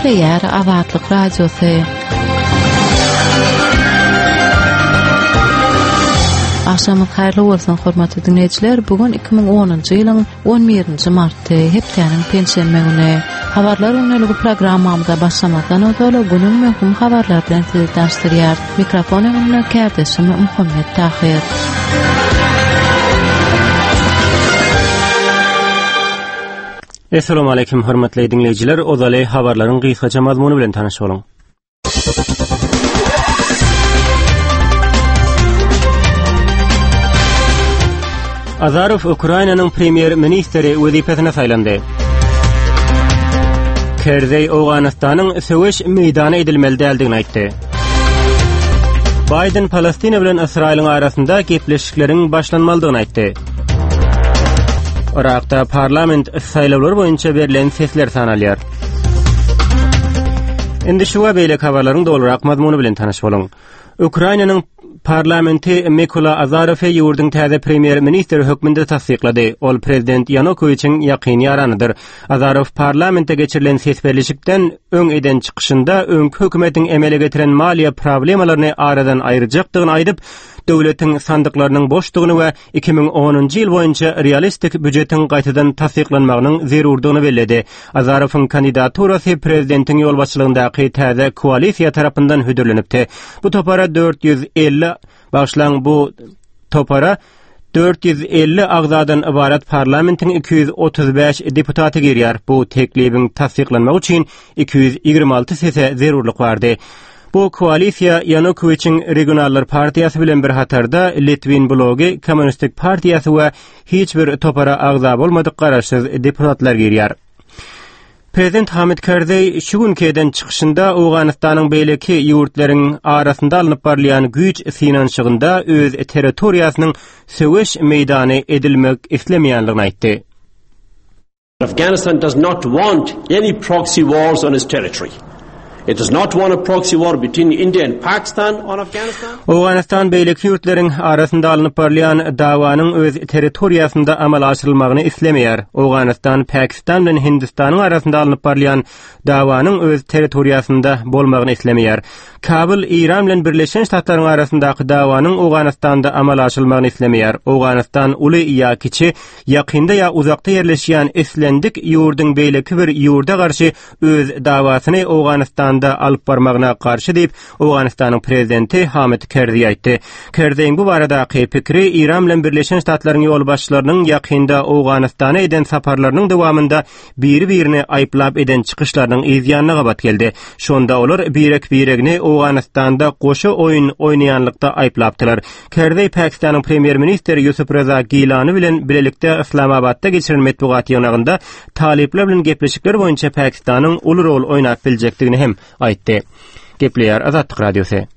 Gepleýär Azatlyk Radiosy. Agşamyňyz haýyrly bolsun, hormatly diňleýjiler! Bu gün 2010-njy ýylyň 11-nji marty, hepdäniň penşenbe güni. Habarlar gündeligi programmamyza başlamazdan ozal, günüň möhüm habarlary bilen sizi tanyşdyrýarys. Mikrofon öňünde kärdeşim Muhammet Tahyr. Essalamu aleýkum hormatly diňleýjiler, ozaly habarlaryň gysgaça mazmuny bilen tanyş boluň. Azarow Ukrainanyň premýer-ministri wezipesine saýlandy. Kerzeý Owganystanyň söweş meýdany edilmeli däldigini aýtdy. Baýden Palestina bilen Ysraýylyň arasynda gepleşikleriň başlanmalydygyny aýtdy. Yrakda parlament saýlawlary boýunça berlen sesler sanalýar. Indi şu we beýleki habarlaryň dolurak mazmuny bilen tanyş boluň. Ukrainanyň parlamenti Mikola Azarowy ýurduň täze premýer-ministri hökmünde tassyklady. Ol prezident Ýanukowiçiň ýakyn ýaranydyr. Azarow parlamentde geçirilen ses berlişikden öň eden çykyşynda öňki hökümetiň emele getiren maliýe problemalaryny aradan aýyrjakdygyny aýdyp, döwletiň sandyklarynyň boşdugyny we 2010-njy ýyl boýunça realistik býujetiň gaýtadan tassyklanmagynyň zerurdygyny belledi. Azarowyň kandidaturasy prezidentiň ýolbaşçylygyndaky täze koalisiýa tarapyndan hödürlenipdi. Bu topara 450 bagyşlaň bu topara 450 agzadan ybarat parlamentiň 235 deputaty girýär. Bu teklibiň tassyklanmagy üçin 226 sese zerurlyk bardy. Bu koalisiýa Ýanukowiçiň Regionallar partiýasy bilen bir hatarda Litwin blogy, Kommunistik partiýasy we hiç bir topara agza bolmadyk garaşsyz deputatlar girýär. Prezident Hamid Karzeý şu günki eden çykyşynda Owganystanyň beýleki ýurtlaryň arasynda alnyp barylýan güýç synanyşygynda öz territoriýasynyň söweş meýdany edilmek islemeýänligini aýtdy. Afghanistan does not want any proxy wars on its territory. It does not want a proxy war between India and Pakistan on Afghanistan. Owganystan beýleki ýurtlaryň arasynda alnyp barylýan dawanyň öz territoriýasynda amala aşyrylmagyny islemeýär. Owganystan Pakistan bilen Hindistanyň arasynda alnyp barylýan dawanyň öz territoriýasynda bolmagyny islemeýär. Kabul Eýran bilen Birleşen Ştatlaryň arasyndaky dawanyň Owganystanda amala aşyrylmagyny islemeýär. Owganystan uly ýa kiçi Ýakynda ýa uzakda ýerleşýän islendik ýurduň beýleki bir ýurda garşy öz dawasyny Owganystanda alyp barmagyna garşy diýip, Owganystanyň prezidenti Hamid Kerzi aýtdy. Kerzeýiň bu baradaky pikiri Eýran bilen Birleşen Ştatlaryň ýolbaşçylarynyň ýakynda Owganystana eden saparlarynyň dowamynda biri-birini aýyplap eden çykyşlarynyň yz ýanyna gabat geldi. Şonda olar birek-biregini Owganystanda goşa oýun oýnaýanlykda aýyplapdylar. Kerzeý Pakistanyň premýer-ministri Ýusuf Reza Gilani bilen bilelikde Yslamabatda geçiren metbugat ýygnagynda talyplar bilen gepleşikler boýunça Pakistanyň uly rol oýnap biljekdigini hem aýtdy. Gepleýär Azatlyk Radiosy.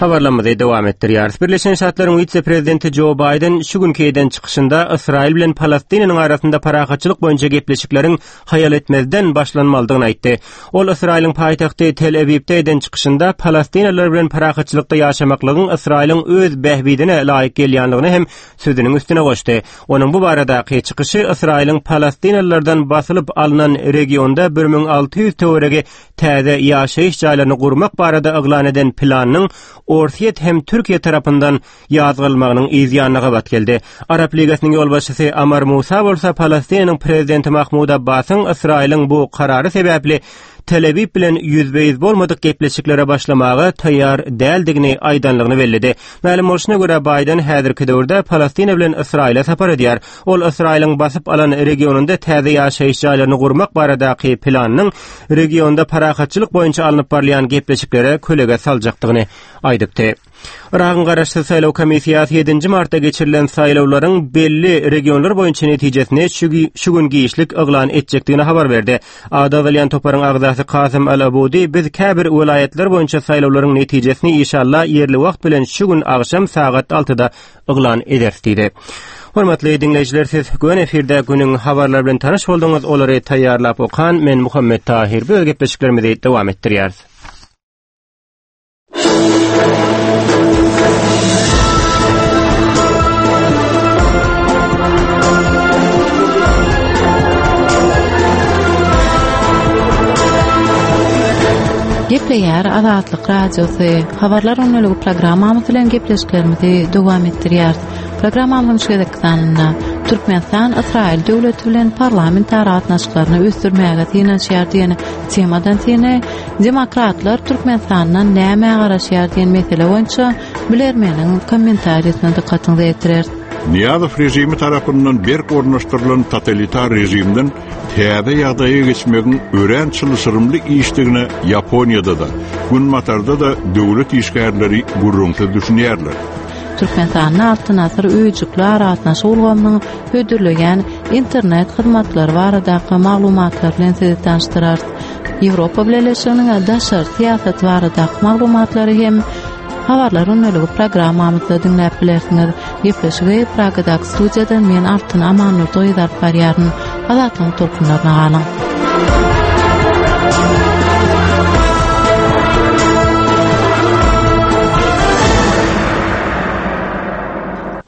Habarlarymyzy dowam etdirýäris. Birleşen Ştatlaryň wise-prezidenti Jo Baýden şu günki eden çykyşynda Ysraýyl bilen Palestinanyň arasynda parahatçylyk boýunça gepleşikleriň haýal etmezden başlanmalydygyny aýtdy. Ol Ysraýylyň paýtagty Tel-Awipde eden çykyşynda palestinalylar bilen parahatçylykda ýaşamaklygyň Ysraýylyň öz bähbidine laýyk gelýänligini hem sözüniň üstüne goşdy. Onuň bu baradaky çykyşy Ysraýylyň palestinalylardan basylyp alnan regionda 1600 töweregi täze ýaşaýyş jaýlaryny gurmak barada yglan eden planynyň Orsýet hem Türkiýe tarapyndan ýazgarylmagynyň yz ýanyna gabat geldi. Arap Ligasynyň ýolbaşçysy Amar Musa bolsa Palestinanyň prezidenti Mahmud Abbasyň Ysraýylyň bu karary sebäpli Tel-Awiw bilen ýüzbe-ýüz bolmadyk gepleşiklere başlamaga taýýar däldigini aýdanlygyny belledi. Mälim bolşuna görä, Baýden häzirki döwürde Palestina bilen Ysraýyla sapar edýär. Ol Ysraýylyň basyp alan regionynda täze ýaşaýyş jaýlaryny gurmak baradaky planynyň regionda parahatçylyk boýunça alnyp barylýan gepleşiklere kölege saljakdygyny aýdypdy. Yragyň Garaşsyz saýlaw komissiýasy ýedinji martda geçirilen saýlawlaryň belli regionlar boýunça netijesini şu gün giçlik yglan etjekdigini habar berdi. Ady agzalýan toparyň agzasy Kasym Al-Abudi biz käbir welaýatlar boýunça saýlawlaryň netijesini işalla ýerli wagt bilen şu gün agşam sagat altyda yglan ederis diýdi. Hormatly diňleýjiler siz göni efirde günüň habarlary bilen tanyş bolduňyz. Olary taýýarlap okan men Muhammet Tahir. Biz gepleşiklerimizi dowam etdirýäris. Gepleýär Azatlyk Radiosy. Habarlar gündeligi programmamyz bilen gepleşiklerimizi dowam etdirýäris. Programmamyzyň şu gezekki sanynda Türkmenistan Ysraýyl döwleti bilen parlamentara gatnaşyklaryny ösdürmäge synanyşýar diýen temadan syny Demokratlar Türkmenistandan nämä garaşýar diýen mesele boýunça bilermeniň kommentariýasyna dykgatyňyzy ýetireris. Nyýazow režimi tarapyndan berk ornaşdyrylan totalitar režimden täze ýagdaýa geçmegiň örän çylşyrymly işdigine Ýaponiýada-da, Günbatarda-da döwlet işgärleri gürrüňsiz düşünýärler. Türkmenistanda Altyn asyr öýjükli aragatnaşyk ulgamynyň hödürleýän internet hyzmatlary baradaky maglumatlar bilen sizi tanyşdyrarys. Ýewropa Bileleşiginiň daşary syýasaty baradaky maglumatlary hem Habarlar gündeligi programmamyzda diňläp bilersiňiz. Gepleşigi Pragadaky studiýadan men Altyn Amandurdy gyzy alyp barýaryn. Azatlygyň tolkunlaryna galyň.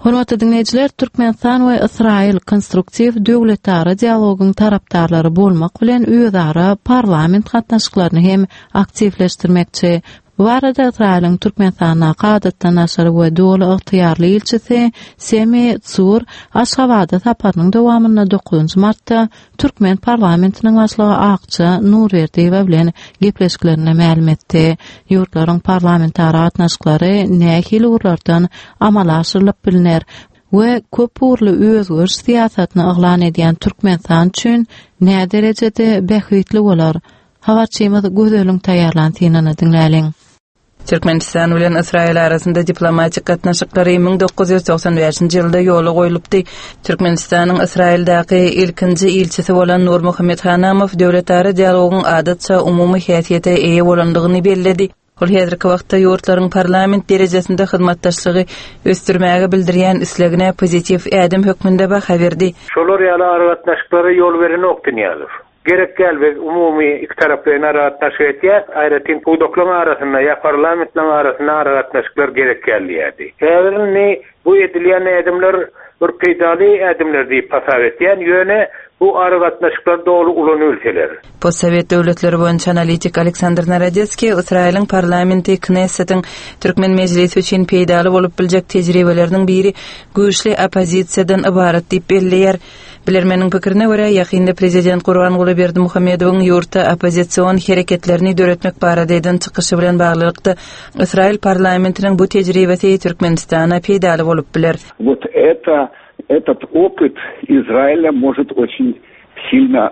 Hormatly diňleýjiler, Türkmenistan we Ysraýyl konstruktiw döwletara dialogyň tarapdarlary bolmak bilen özara parlament gatnaşyklaryny hem aktiwleşdirmekçi. Bu barada Ysraýylyň Türkmenistandaky Adatdan daşary we Doly ygtyýarly ilçisi Semi Tsur Aşgabada saparynyň dowamynda dokuzynjy martda türkmen parlamentiniň başlygy Akja Nurberdiýewa bilen gepleşiklerinde mälim etdi. Ýurtlaryň parlamentara gatnaşyklary nähili ugurlardan amala aşyrylyp bilner we köp ugurly özgeriş syýasatyny yglan edýän Türkmenistan üçin näderejede bähbitli bolar? Habarçymyz Gözeliň taýýarlan synyny diňläliň. Türkmenistan bilen Ysraýyl arasynda diplomatik gatnaşyklary 1995-nji ýylda ýola goýlupdy. Türkmenistanyň Ysraýyldaky ilkinji ilçisi bolan Nurmuhammet Hanamow döwletara dialogyň adatça umumy häsiýete eýe bolandygyny belledi. Ol häzirki wagtda ýurtlaryň parlament derejesinde hyzmatdaşlygy ösdürmäge bildirýän islegine pozitiw ädim hökmünde baha berdi. Şolar ýaly aragatnaşyklara ýol berenokdy Nyýazow. Gerek däl biz umumy ikitaraplaýyn aragatnaşyk etýäs, aýratyn pudaklaryň arasynda ýa parlamentleriň arasynda aragatnaşyklar gerek däl diýýärdi. Häzir indi bu edilýän ädimler bir peýdaly ädimler diýip hasap etýän, ýöne bu aragatnaşyklar doly ulanybilseler. Postsowet döwletleri boýunça analitik Aleksandr Narodetskiý Ysraýylyň parlamenti Knessetiň türkmen mejlisi üçin peýdaly bolup biljek tejribeleriniň biri güýçli oppozisiýadan ybarat diýip belleýär. Bilermeniň pikirine görä, ýakynda prezident Gurbanguly Berdimuhamedowyň ýurtda oppozision hereketlerini döretmek barada eden çykyşy bilen baglylykda, Ysraýyl parlamentiniň bu tejribesi Türkmenistana peýdaly bolup biler. Wot eto, etot opyt Izraelýa может oçin silno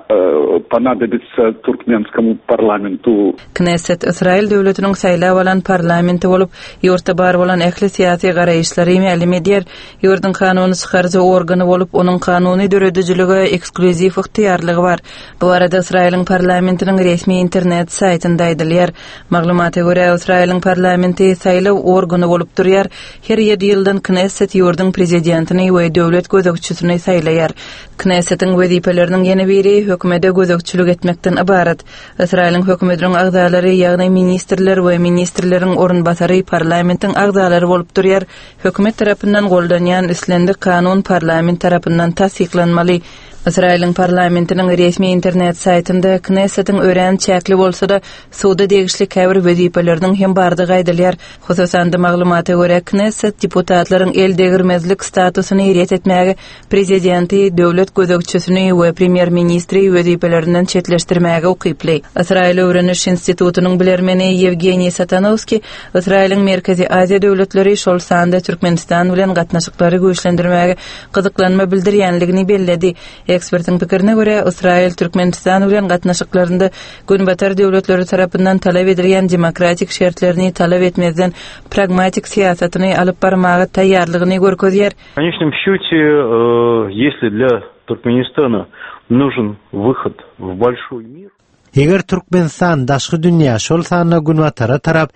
ponadobitsa turkmenskomu parlamentu. Knesset Ysraýyl döwletiniň saýlap alan parlamenti bolup, ýurtda bar bolan ähli syýasy garaýyşlary mälim edýär. Ýurduň kanuny çykaryjy organy bolup, onuň kanuny döredijilige eksklýuziw ygtyýarlygy bar. Bu barada Ysraýylyň parlamentiniň resmi internet saýtynda aýdylýar. Maglumata görä, Ysraýylyň parlamenti saýlaw organy bolup durýar, her ýedi ýyldan Knesset ýurduň prezidentini we döwlet gözegçisini saýlaýar. Knessetiň wezipeleriniň ýene biri hökümede gözegçilik etmekden ybarat. Ysraýylyň hökümetiniň agzalary, ýagny ministrler we ministrleriň orunbasary parlamentiň agzalary bolup durýar. Hökümet tarapyndan goldanýan islendik kanun parlament tarapyndan tassyklanmaly. Ysraýylyň parlamentiniň resmi internet saýtynda Knessetiň örän çäkli bolsa-da, suda degişli käbir wezipeleriniň hem bardygy aýdylýar. Hususan-da, maglumata görä, Knesset deputatlaryň el degirmezlik statusyny ret etmäge Prezidenti, döwlet gözegçisini we premýer-ministri wezipelerinden çetleşdirmäge ukyply. Ysraýyl öwreniş institutynyň bilermeni Ýewgeniý Satanowskiý Ysraýylyň Merkezi Aziýa döwletleri, şol sanda Türkmenistan bilen gatnaşyklary güýçlendirmäge gyzyklanma bildirýänligini belledi. Ekspertiň pikirine görä, Ysraýyl Türkmenistan bilen gatnaşyklarynda Günbatar döwletleri tarapyndan talap edilýän demokratik şertlerini talap etmezden pragmatik syýasatyny alyp barmaga taýýarlygyny görkezýär. W konečnom sçýote, ýesli dlýa Türkmenistana nužen wyhod w bolşoý mir. Eger Türkmenistan daşky dünýä, şol sanda Günbatara tarap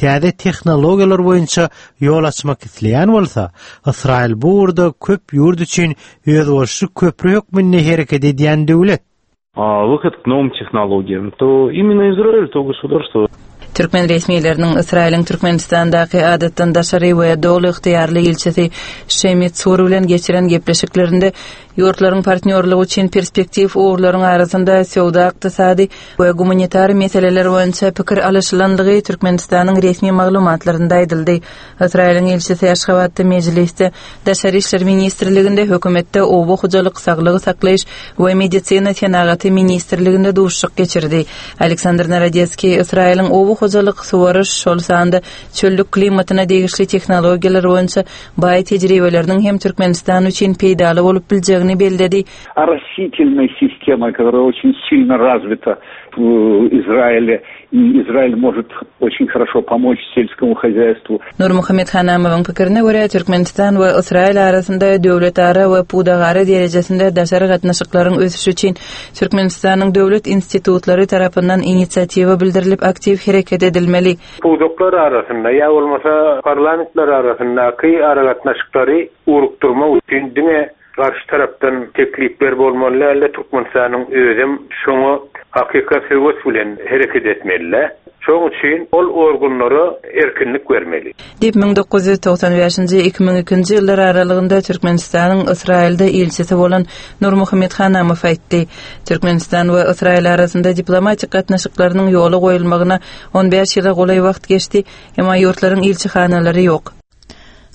täze tehnologiýalar boýunça ýol açmak isleýän bolsa, Ysraýyl bu ugurda köp ýurt üçin özboluşly köpri hökmünde hereket edýän döwlet. Wyhod k nowym tehnologiýam, to imенно Izrail, to gosudarstwo. Türkmen resmileriniň Ysraýylyň Türkmenistandaky adatdan daşary we doly ygtyýarly ilçisi Şemi Tsur bilen geçiren gepleşiklerinde ýurtlaryň partnýorlygy üçin perspektiw ugurlaryň arasynda söwda-ykdysady we gumanitar meseleler boýunça pikir alyşylandygy Türkmenistanyň resmi maglumatlarynda aýdyldy. Ysraýylyň ilçisi Aşgabatda Mejlisde, Daşary işler ministrliginde, Hökümetde, Oba hojalyk, saglygy saklaýyş we medisina senagaty ministrliginde duşuşyk geçirdi. Aleksandr Narodetskiý Ysraýylyň oba hojalyk, suwaryş, şol sanda çöllük klimatyna degişli tehnologiýalar boýunça baý tejribeleriniň hem Türkmenistan üçin peýdaly bolup biljegini belledi. Оросительной системой, которая очень сильно развита в Израиле, и Израиль может очень хорошо помочь сельскому хозяйству. Nurmuhammet Hanamowyň pikirine görä, Türkmenistan we Ysraýyl arasynda döwletara we pudagara derejesinde daşary gatnaşyklaryň ösüşi üçin Türkmenistanyň döwlet institutlary tarapyndan inisiatiwa bildirilip aktiw hereket edilmeli. Pudaklar arasynda ýa bolmasa parlamentler arasyndaky aragatnaşyklary ugrukdyrmak üçin diňe Garşy tarapdan teklipler bolmaly däldi, Türkmenistanyň özem şoňa hakykat höwes bilen hereket etmelidä. Şoň üçin ol organlara erkinlik bermeli. Diýip, 1995-nji, 2002-nji ýyllar aralygynda Türkmenistanyň Ysraýylda ilçisi bolan Nurmuhammet Hanamow aýtdy. Türkmenistan we Ysraýyl arasynda diplomatik gatnaşyklarynyň ýola goýulmagyna on bäş ýyla golaý wagt geçdi, emma ýurtlaryň ilçihanalary ýok.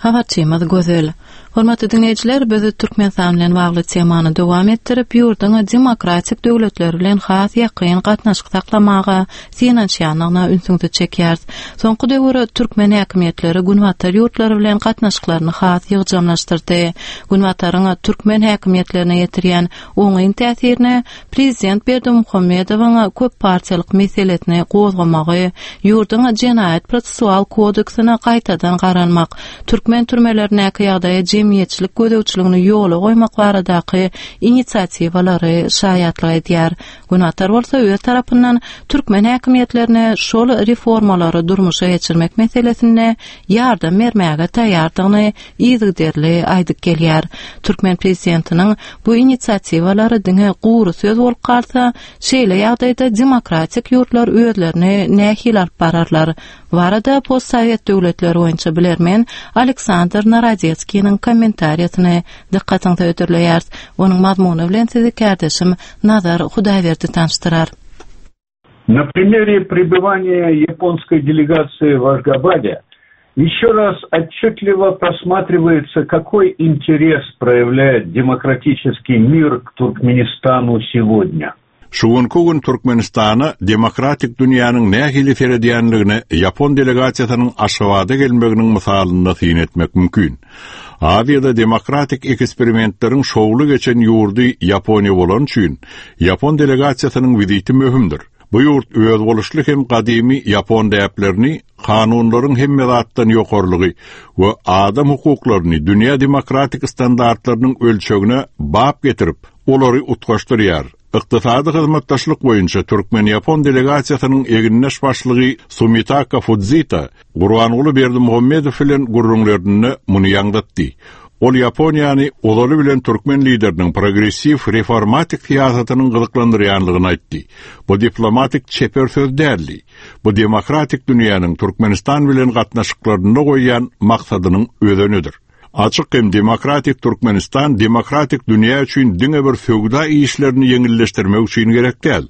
Habarçymyz Gözel. Hormatly diňleýjiler, biz Türkmenistan bilen bagly temany dowam etdirip, ýurduň demokratik döwletler bilen has ýakyn gatnaşyk saklamaga synanyşýandygyna ünsüňizi çekýäris. Soňky döwür türkmen häkimiýetleri günbatar ýurtlary bilen gatnaşyklaryny has ýygjamlaşdyrdy. Günbataryň türkmen häkimiýetlerine ýetirýän oňyn täsirine Prezident Berdimuhamedowyň köp partiýalyk meselesini gozgamagy, ýurduň Jenaýat-prosessual kodeksine gaýtadan garalmak, türkmen türmelerindäki ýagdaýa jemgyýetçilik gözegçiligini ýola goýmak baradaky inisiatiwalary şaýatlyk edýär. Günbatar bolsa öz tarapyndan türkmen häkimiýetlerine şol reformalary durmuşa geçirmek meselesinde ýardam bermäge taýýardygyny yzygiderli aýdyp gelýär. Türkmen prezidentiniň bu inisiatiwalary diňe gury söz bolup galsa, şeýle ýagdaýda demokratik ýurtlar özlerini nähili alyp bararlar? Bu barada postsowet döwletleri boýunça bilermen Aleksandr Narodetskiniň kommentariýasyny dykgatyňyza hödürleýäris. Onuň mazmuny bilen sizi kärdeşim Nazar Hudaýberdi tanyşdyrar. На примере пребывания японской делегации в Ашгабаде еще раз отчетливо просматривается, какой интерес проявляет демократический мир к Туркменистану сегодня. Şu günki gün Türkmenistana demokratik dünýäniň nähili seredýänligine ýapon delegasiýasynyň Aşgabada gelmeginiň mysalynda syn etmek mümkin. Aziýada demokratik eksperimentleriň şowly geçen ýurdy Ýaponiýa bolany üçin, ýapon delegasiýasynyň wiziti möhümdir. Bu ýurt özboluşly hem gadymy ýapon däplerini, kanunlaryň hemme zatdan ýokarylygy we adam hukuklaryny dünýä demokratik standartlarynyň ölçegine bap getirip, olary utgaşdyrýar. Ykdysady hyzmatdaşlyk boýunça türkmen-ýapon delegasiýasynyň egindeş başlygy Sumitaka Fudzita Gurbanguly Berdimuhamedow bilen gürrüňlerinde muny ýaňzytdy. Ol Ýaponiýany ozaly bilen türkmen lideriniň progressiw reformatik syýasatynyň gyzyklandyrýanlygyny aýtdy. Bu diplomatik çeper söz däldi. Bu demokratik dünýäniň Türkmenistan bilen gatnaşyklarynda goýýan maksadynyň özenidir. Açyk hem demokratik Türkmenistan demokratik dünýä üçin diňe bir söwda işlerini ýeňilleşdirmek üçin gerek däl.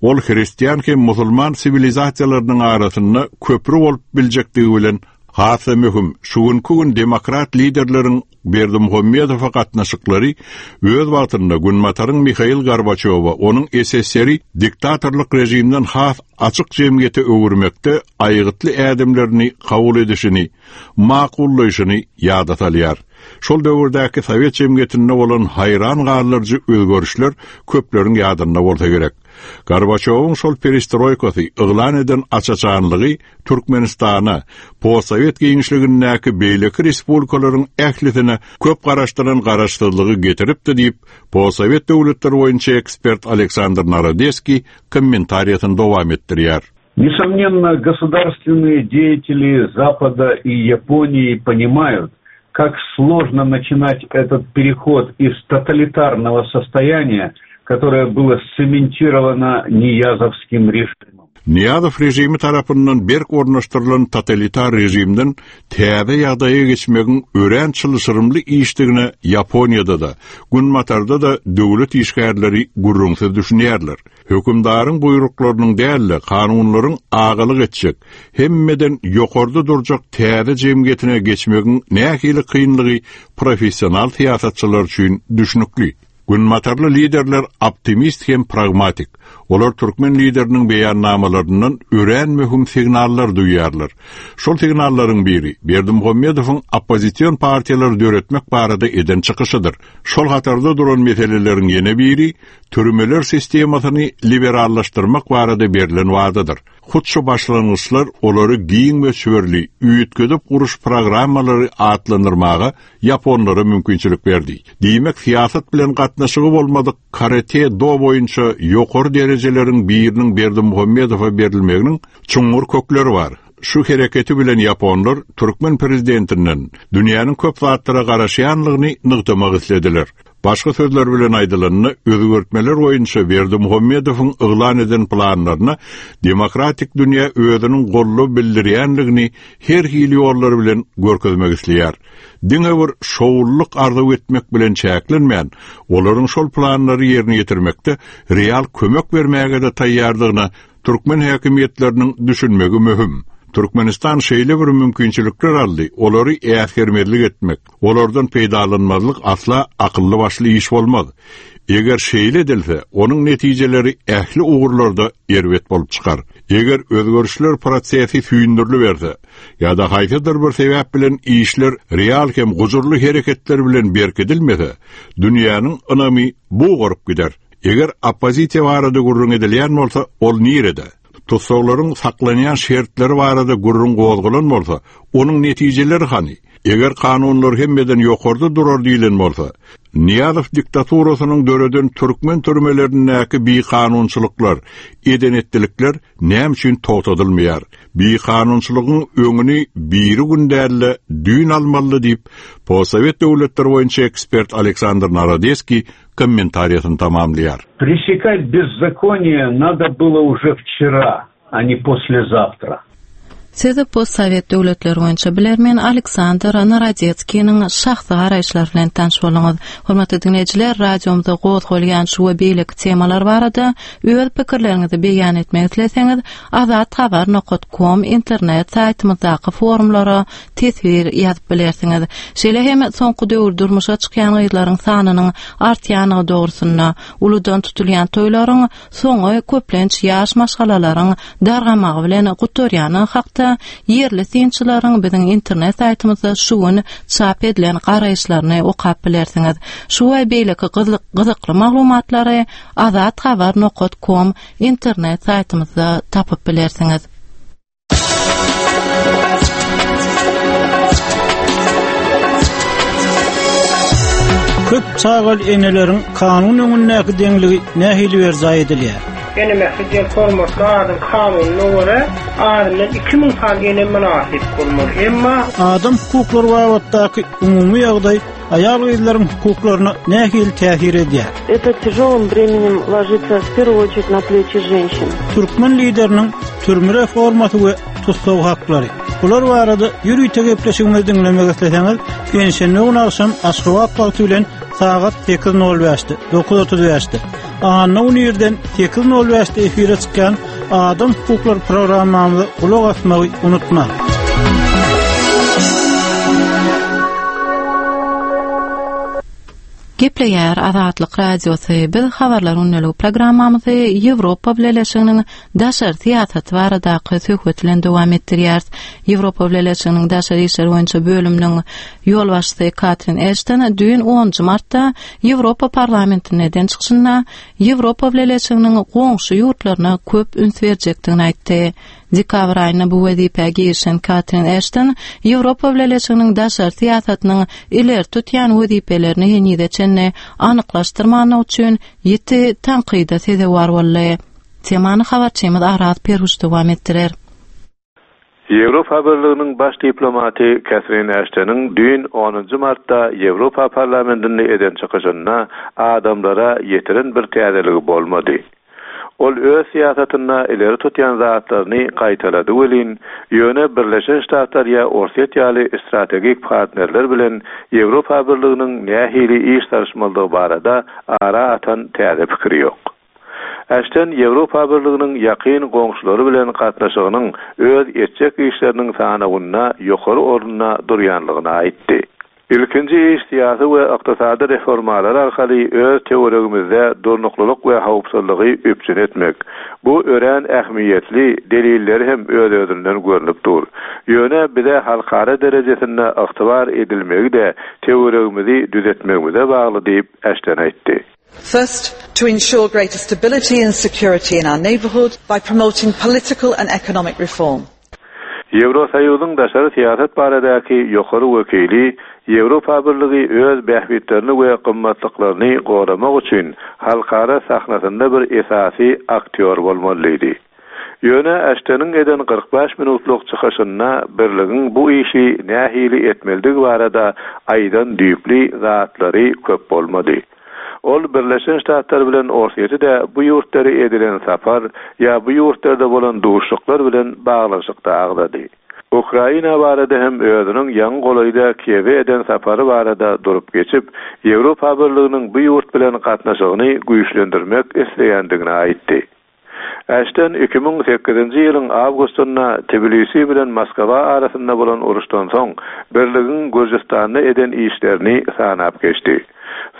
Ol hristian hem musulman siwilizasiýalarynyň arasynda köpri bolup biljekdigi bilen has-da möhüm. Şu günki gün demokrat liderleriň Berdimuhamedowa gatnaşyklary öz wagtynda Günbataryň Mihail Gorbaçýowa onuň SSR-i diktatorlyk režimden has açyk jemgyýete öwürmekde aýgytly ädimlerini kabul edişini makullaýşyny ýada salýar. Şol döwürdäki sowet jemgyýetinde bolan haýran galdyryjy özgerişler köpleriň ýadynda bolsa gerek. Gorbaçýowyň şol perestroýkasy yglan eden aç-açanlygy Türkmenistana, postsowet giňişligindäki beýleki respublikalaryň ählisine köp garaşdyran garaşsyzlygy getiripdi diýip, postsowet döwletleri boýunça ekspert Aleksandr Narodeskiý kommentariýasyny dowam etdirýär. Несомненно, государственные деятели Запада и Японии понимают, как сложно начинать этот переход из тоталитарного состояния, которое было сцементировано Ниязовским режимом. Nyýazow režimi tarapyndan berk ornaşdyrylan totalitar režimden täze ýagdaýa geçmegiň örän çylşyrymly işdigine Ýaponiýada-da, Günbatarda-da döwlet işgärleri gürrüňsiz düşünýärler. Hökümdaryň buýruklarynyň däl-de, kanunlaryň agalyk etjek, hemmeden ýokarda durjak täze jemgyýetine geçmegiň nähili kynlygy professional syýasatçylar üçin düşnükli. Günbatarly liderler optimist hem pragmatik. Olar türkmen lideriniň beýannamalaryndan örän möhüm signallar duýýarlar. Şol signallaryň biri Berdimuhamedowyň oppozision partiýalary döretmek barada eden çykyşydyr. Şol hatarda duran meseleleriň ýene biri türmeler sistemasyny liberallaşdyrmak barada berlen wadadyr. Hut şu başlangyçlar olary giň möçberli üýtgedip guruş programmalary atlandyrmaga ýaponlara mümkinçilik berdi. Diýmek, syýasat bilen gatnaşygy bolmadyk karate-do boýunça ýokary derejeleriň biriniň Berdimuhamedowa berilmeginiň çuňňur kökleri bar. Şu hereketi bilen ýaponlar türkmen prezidentinden dünýäniň köp zatlara garaşýanlygyny nygtamak islediler. Başga sözler bilen aýdylanda, özgertmeler boýunça Berdimuhamedowyň yglan eden planlaryna demokratik dünýä özüniň goldaw bildirýänligini her hili ýollar bilen görkezmek isleýär. Diňe bir şowlulyk arzuw etmek bilen çäklenmän, olaryň şol planlary ýerine ýetirmekde real kömek bermäge-de taýýardygyna Türkmen häkimiýetleriniň düşünmegi möhüm. Türkmenistan şeýle bir mümkinçilikler aldy, olary äsgermezlik etmek, olardan peýdalanmazlyk asla akylly-başly iş bolmaz. Eger şeýle edilse, onuň netijeleri ähli ugurlarda erbet bolup çykar. Eger özgerişler prosesi süýndüriliberse ýa-da haýsydyr bir sebäp bilen işler real hem gujurly hereketler bilen berkidilmese, dünýäniň ynamy bugaryp gider. Eger oppozisiýa barada gürrüň edilýän bolsa, ol nirede? Tussaglaryň saklanýan şertleri barada gürrüň gozgalan bolsa, onuň netijeleri hany? Eger kanunlar hemmeden ýokarda durar diýlen bolsa, Nyýazow diktaturasynyň döreden türkmen türmelerindäki bikanunçylyklar, eden-etdilikler näme üçin togtadylmaýar? Bikanunçylygyň öňüni birigün däl-de, düýn almalydy diýip, postsowet döwletleri boýunça ekspert Aleksandr Narodeskiý kommentariýasyny tamamlaýar. Пресекать беззаконие надо было уже вчера, а не послезавтра. Siz postsowet döwletleri boýunça bilermen Aleksandr Narodetskiniň şahsy garaýyşlary bilen tanyş bolduňyz. Hormatly diňleýjiler, radiomyzda gozgalýan şu we beýleki temalar barada öz pikirleriňizi beýan etmek isleseňiz, azathabar nokat kom internet saýtymyzdaky forumlara teswir ýazyp bilersiňiz. Şeýle hem soňky döwür durmuşa çykýan gyzlaryň sanynyň artýanlygy dogrusynda, uludan tutulýan toýlaryň soňy köplenç ýaş maşgalalaryň dargamagy bilen gutarýany hakda ýerli synçylaryň biziň internet saýtymyzda şu gün çap edilen garaýyşlaryny okap bilersiňiz. Şu we beýleki gyzykly maglumatlary azathabar nokat kom internet saýtymyzda tapyp bilersiňiz. Köp çagaly eneleriň kanun öňündäki deňligi nähili berjaý edilýär? Ene mähri diýen hormatly adyň kanunyna görä, azyndan 2000 sany ene mynasyp bolmaly. Emma. Adam hukuklary babatdaky umumy ýagdaý Aýal-gyzlaryň hukuklaryna nähili täsir edýär? Это тяжелым бременем ложится в первую очередь на плечи женщин. Türkmen lideriniň türme reformasy we tussag haklary. Bular barada ýörite gepleşigimizi diňlemek isleseňiz, penşenbe güni agşam Aşgabat wagty bilen sagat 8:05-de, 9:35-de, anna güni irden 8:05-de efire çykýan Adam hukuklary programmamyza gulak asmagy unutmaň. Gepleýär Azatlyk Radiosy. Biz Habarlar gündeligi programmamyzy Ýewropa Bileleşiginiň daşary syýasaty baradaky söhbet bilen dowam etdirýäris. Ýewropa Bileleşiginiň daşary işler boýunça bölüminiň ýolbaşçysy Katrin Eşton düýn onunjy martda Ýewropa Parlamentinde eden çykyşynda Ýewropa Bileleşiginiň goňşy ýurtlaryna köp üns berjekdigini aýtdy. Dekabr aýynda bu wezipä girişen Katrin Eşton Ýewropa Bileleşiginiň daşary syýasatynyň ileri tutýan wezipelerini henize çenli anyklaşdyrmandygy üçin ýiti tankyda sezewar boldy. Temany habarçymyz Araz Perhuş dowam etdirer. Ýewropa Birliginiň baş diplomaty Kätrin Äşteniň düýn onunjy martda Ýewropa Parlamentinde eden çykyşynda adamlara ýetiren bir täzeligi bolmady. Ol öz syýasatynda ileri tutýan zatlaryny gaýtalady welin, ýöne Birleşen Ştatlar ýa Orsýet ýaly strategik partnerler bilen Ýewropa Birliginiň nähili iş salyşmalydygy barada ara atan täze pikiri ýok. Äşten Ýewropa Birliginiň ýakyn goňşulary bilen gatnaşygynyň öz etjek işleriniň sanawynda ýokary orunda durýanlygyny aýtdy. Ilkinji iş syýasy we ykdysady reformalar arkaly öz töweregimizde durnuklylyk we howpsuzlygy üpjün etmek. Bu örän ähmiýetli, delilleri hem öz-özünden görnüp dur. Ýöne bize halkara derejesinde ygtybar edilmegi-de töweregimizi düzetmegimize bagly diýip, Äşten aýtdy. First, to ensure greater stability and security in our neighbourhood by promoting political and economic reform. Ýewrosoýuzyň daşary syýasat baradaky ýokary wekili Ýewropa Birligi öz bähbitlerini we gymmatlyklaryny goramak üçin halkara sahnasynda bir esasy aktýor bolmaly diýdi. Ýöne Äşteniň eden 45 minutlyk çykyşynda Birligiň bu işi nähili etmelidigi barada aýdan düýpli zatlary köp bolmady. Ol Birleşen Ştatlar bilen Orsýeti-de bu ýurtlary edilen sapar ýa bu ýurtlarda bolan duşuşyklar bilen baglanyşykda agzady. Ukraina barada hem özüniň ýaňy golaýda Kiýewe eden sapary barada durup geçip, Ýewropa Birliginiň bu ýurt bilen gatnaşygyny güýçlendirmek isleýändigini aýtdy. Äşten 2008-nji ýylyň awgustynda Tbilisi bilen Moskwa arasynda bolan uruşdan soň Birligiň Gürjüstanda eden işlerini sanap geçdi.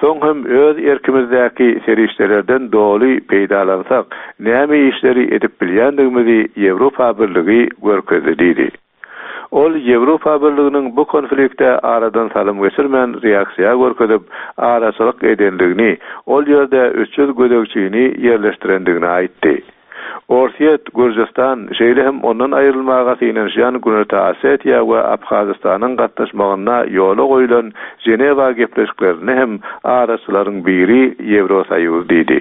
Soň hem öz erkimizdäki serişdelerden doly peýdalansak, näme işleri edip bilýändigimizi Ýewropa Birligi görkezdi diýdi. Ol Ýewropa Birliginiň bu konflikte aradan salym geçirmän reaksiýa görkezip, araçylyk edendigini, ol ýerde 300 gözegçini ýerleşdirendigini aýtdy. Orsýet, Gürjüstan, şeýle hem ondan aýrylmaga synanyşýan Günorta Osetiýa we Abhazystanyň gatnaşmagynda ýola goýlan Ženewa gepleşiklerinde hem araçylaryň biri Ýewrosoýuz diýdi.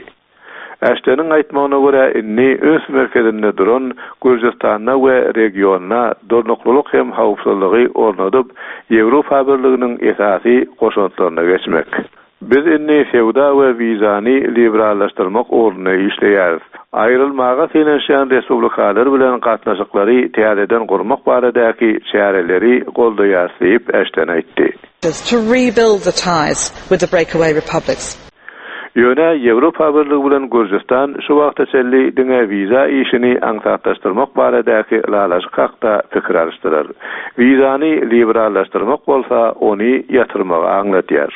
Äşteniň aýtmagyna görä, indi üns merkezinde duran Gürjüstanda we regionda durnuklylyk hem howpsuzlygy ornadyp, Ýewropa Birliginiň esasy goşantlaryna geçmek. Biz indi söwda we wizany liberallaşdyrmak ugrunda işleýäris. Aýrylmaga synanyşýan respublikalar bilen gatnaşyklary täzeden gurmak baradaky çäreleri goldaýarys diýip, Äşten aýtdy. To rebuild the ties with the breakaway republics. Ýöne Ýewropa Birligi bilen Gürjüstan şu wagta çenli diňe wiza işini aňsatlaşdyrmak baradaky ylalaşyk hakda pikir alyşdylar. Wizany liberallaşdyrmak bolsa ony ýatyrmagy aňladýar.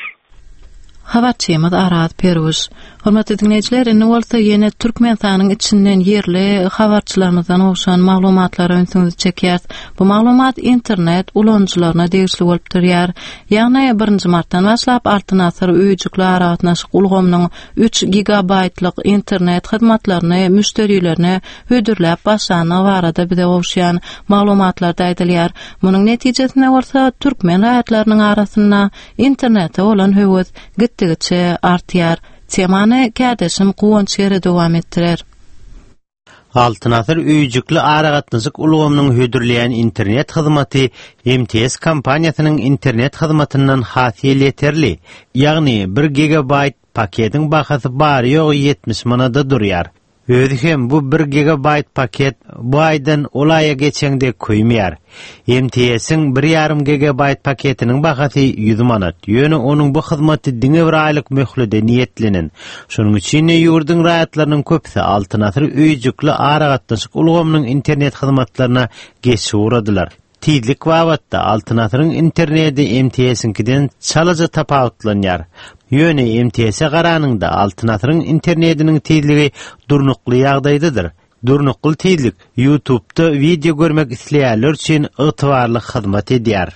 Habarçymyz Araz Perwiş. Hormatly diňleýjiler, indi bolsa ýene Türkmenistanyň içinden ýerli habarçylarymyzdan gowşan maglumatlara ünsüňizi çekýäris. Bu maglumat internet ulanyjylaryna degişli bolup durýar. Ýagny, birinji martdan başlap Altyn asyr öýjükli aragatnaşyk ulgamynyň üç gigabaýtlyk internet hyzmatlaryny müşderilerine hödürläp başlandygy barada bize gowuşýan maglumatlarda aýdylýar. Munuň netijesinde bolsa türkmen raýatlarynyň arasynda internete bolan höwes gitdigiçe artýar. Temany kärdeşim Guwanç Gere dowam etdirer. Altyn asyr öýjükli aragatnaşyk ulgamynyň hödürleýän internet hyzmaty MTS kompaniýasynyň internet hyzmatyndan has elýeterli, ýagny bir gigabaýt paketiň bahasy bary-ýogy 70 manada durýar. Özi hem bu bir gigabaýt paket bu aýdan ol aýa geçeňde köýmeýär. MTS-iň bir ýarym gigabaýt paketiniň bahasy 100 manat, ýöne onuň bu hyzmaty diňe bir aýlyk möhlede niýetlenen. Şonuň üçin-de ýurduň raýatlarynyň köpüsi Altyn asyr öýjükli aragatnaşyk ulgamynyň internet hyzmatlaryna geçip ugradylar. Tizlik babatda Altyn asyryň interneti MTS-iňkiden çalaja tapawutlanýar. Ýöne MTS-e garanyňda Altyn asyryň internetiniň tizligi durnukly ýagdaýdadyr. Durnukly tizlik YouTube-da wideo görmek isleýänler üçin ygtybarly hyzmat edýär.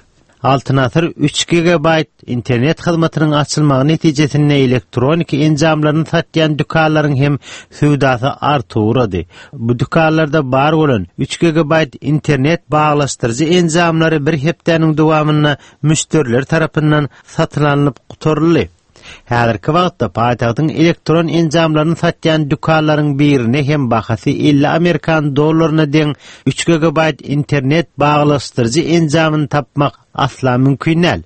Altyn asyr üç gigabaýt internet hyzmatynyň açylmagy netijesinde elektroniki enjamlaryny satýan dükanlaryň hem söwdasy artyp ugrady. Bu dükanlarda bar bolan üç gigabaýt internet baglaşdyryjy enjamlary bir hepdäniň dowamynda müşderiler tarapyndan satyn alnyp gutaryldy. Häzirki wagtda paýtagtyň elektron enjamlaryny satýan dükanlaryň birinde hem bahasy 50 amerikan dollaryna deň üç gigabaýt internet baglaşdyryjy enjamyny tapmak asla mümkin däl.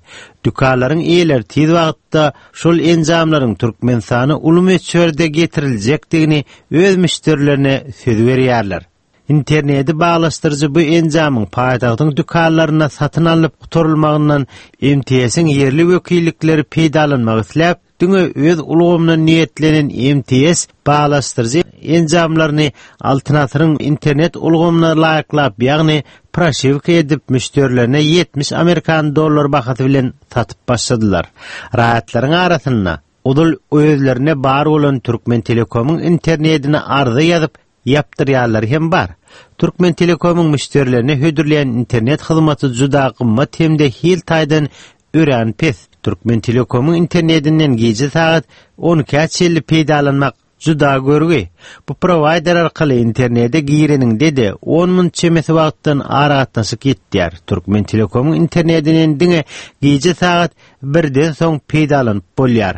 Dükanlaryň eýeleri tiz wagtda şol enjamlaryň Türkmenistana uly möçberde getiriljekdigini öz müşderilerine söz berýärler. Interneti baglaşdyryjy bu enjamyň paýtagtyň dükanlarynda satyn alnyp gutarylmagyndan MTS-iň ýerli wekillikleri peýdalanmak isläp, diňe öz ulgamyna niýetlenen MTS baglaşdyryjy enjamlaryny Altyn asyryň internet ulgamyna laýyklap, ýagny proşiwka edip, müşderilerine 70 amerikan dollar bahasy bilen satyp başladylar. Raýatlaryň arasynda ozal özlerinde bar bolan Türkmentelekomyň internetine arza ýazyp, ýapdyrýanlary hem bar. Türkmentelekomyň müşderilerine hödürleýän internet hyzmaty juda gymmat hem-de hil taýdan örän pes. Türkmentelekomyň internetinden gije sagat on ikä çenli peýdalanmak juda görgi. Bu prowaýder arkaly internete gireniňde-de on minut çemesi wagtdan aragatnaşyk ýitýär. Türkmentelekomyň internetinden diňe gije sagat birden soň peýdalanyp bolýar.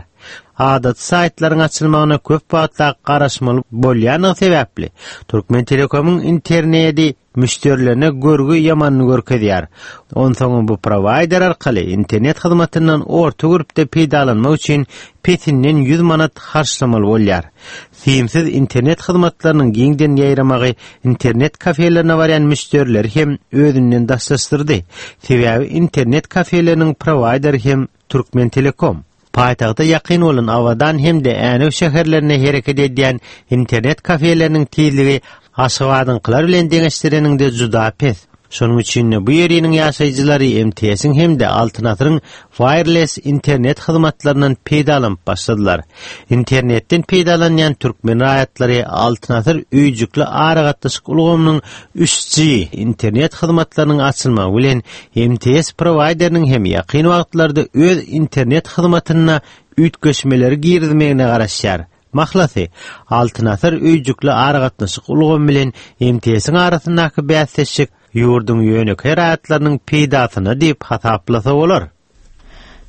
Adaty saýtlaryň açylmagyna köp wagtlap garaşmaly bolýandygy sebäpli, Türkmentelekomyň internedi müşderilerine görgi ýamanyny görkezýär. Onsoňam bu prowaýder arkaly internet hyzmatyndan orta gürpde peýdalanmak üçin pesinden 100 manat harçlamaly bolýar. Simsiz internet hyzmatlarynyň giňden ýaýramagy internet kafelerine barýan müşderileri hem özünden daşlaşdyrdy. Sebäbi internet kafeleriniň prowaýderi hem Türkmentelekom. Paýtagta ýakyn bolan Abadan hem-de Änew şäherlerinde hereket edýän internet kafeleriniň tizligi Aşgabadyňkylar bilen deňeşdireniňde juda pes. Şonuň üçin-de bu ýeriniň ýaşaýjylary MTS-iň hem-de Altyn asyryň wireless internet hyzmatlaryndan peýdalanyp başladylar. Internetden peýdalanýan türkmen raýatlary Altyn asyr öýjükli aragatnaşyk ulgamynyň 3G internet hyzmatlarynyň açylmagy bilen MTS prowaýderiniň hem ýakyn wagtlarda öz internet hyzmatynda üýtgeşmeleri girizmegine garaşýar. Mahlasy, Altyn asyr öýjükli aragatnaşyk ulgamy bilen MTS-iň arasyndaky bäsdeşlik ýurduň ýönekeý raýatlarynyň peýdasyna diýip hasaplasa bolar.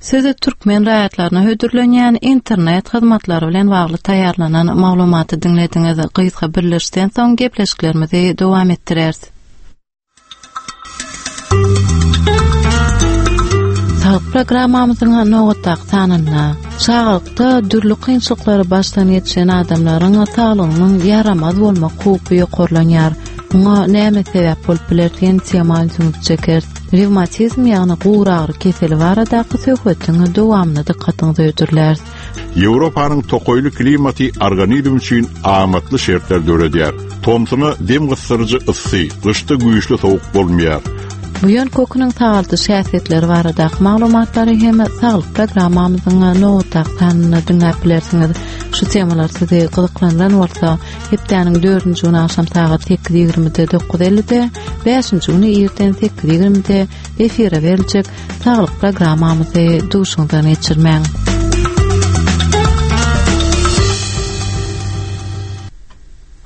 Siz türkmen raýatlaryna hödürlenýän internet hyzmatlary bilen bagly taýýarlanan maglumaty diňlediňiz. Gysga birleşden soň gepleşiklerimizi dowam etdireris. Saglyk programmamyzyň nobatdaky sanynda çagalykda dürli kynçylyklary başdan geçiren adamlaryň saglygynyň ýaramaz bolmak howpy ýokarlanýar. Muňa näme sebäp bolup biler diýen tema ünsüňizi çekeris. Rewmatizm ýagny guragyry keseli baradaky söhbetiň dowamyny dykgatyňyza hödürläris. Ýewropanyň tokaýly klimaty organizm üçin amatly şertler döredýär. Tomsuna dem gysdyryjy yssy, gyşda güýçli sowuk bolmaýar. Buýan köküniň sagaldyş häsiýetleri baradaky maglumatlary hem saglyk programmamyzyň nobatdaky sanynda diňläp bilersiňiz. Şu temalar sizi gyzyklandyran bolsa, hepdäniň dördünji güni agşam sagat 8:20-de 9:50-de, bäşinji güni irden 8:20-de efire beriljek Saglyk programmamyzy duşuňdan geçirmäň.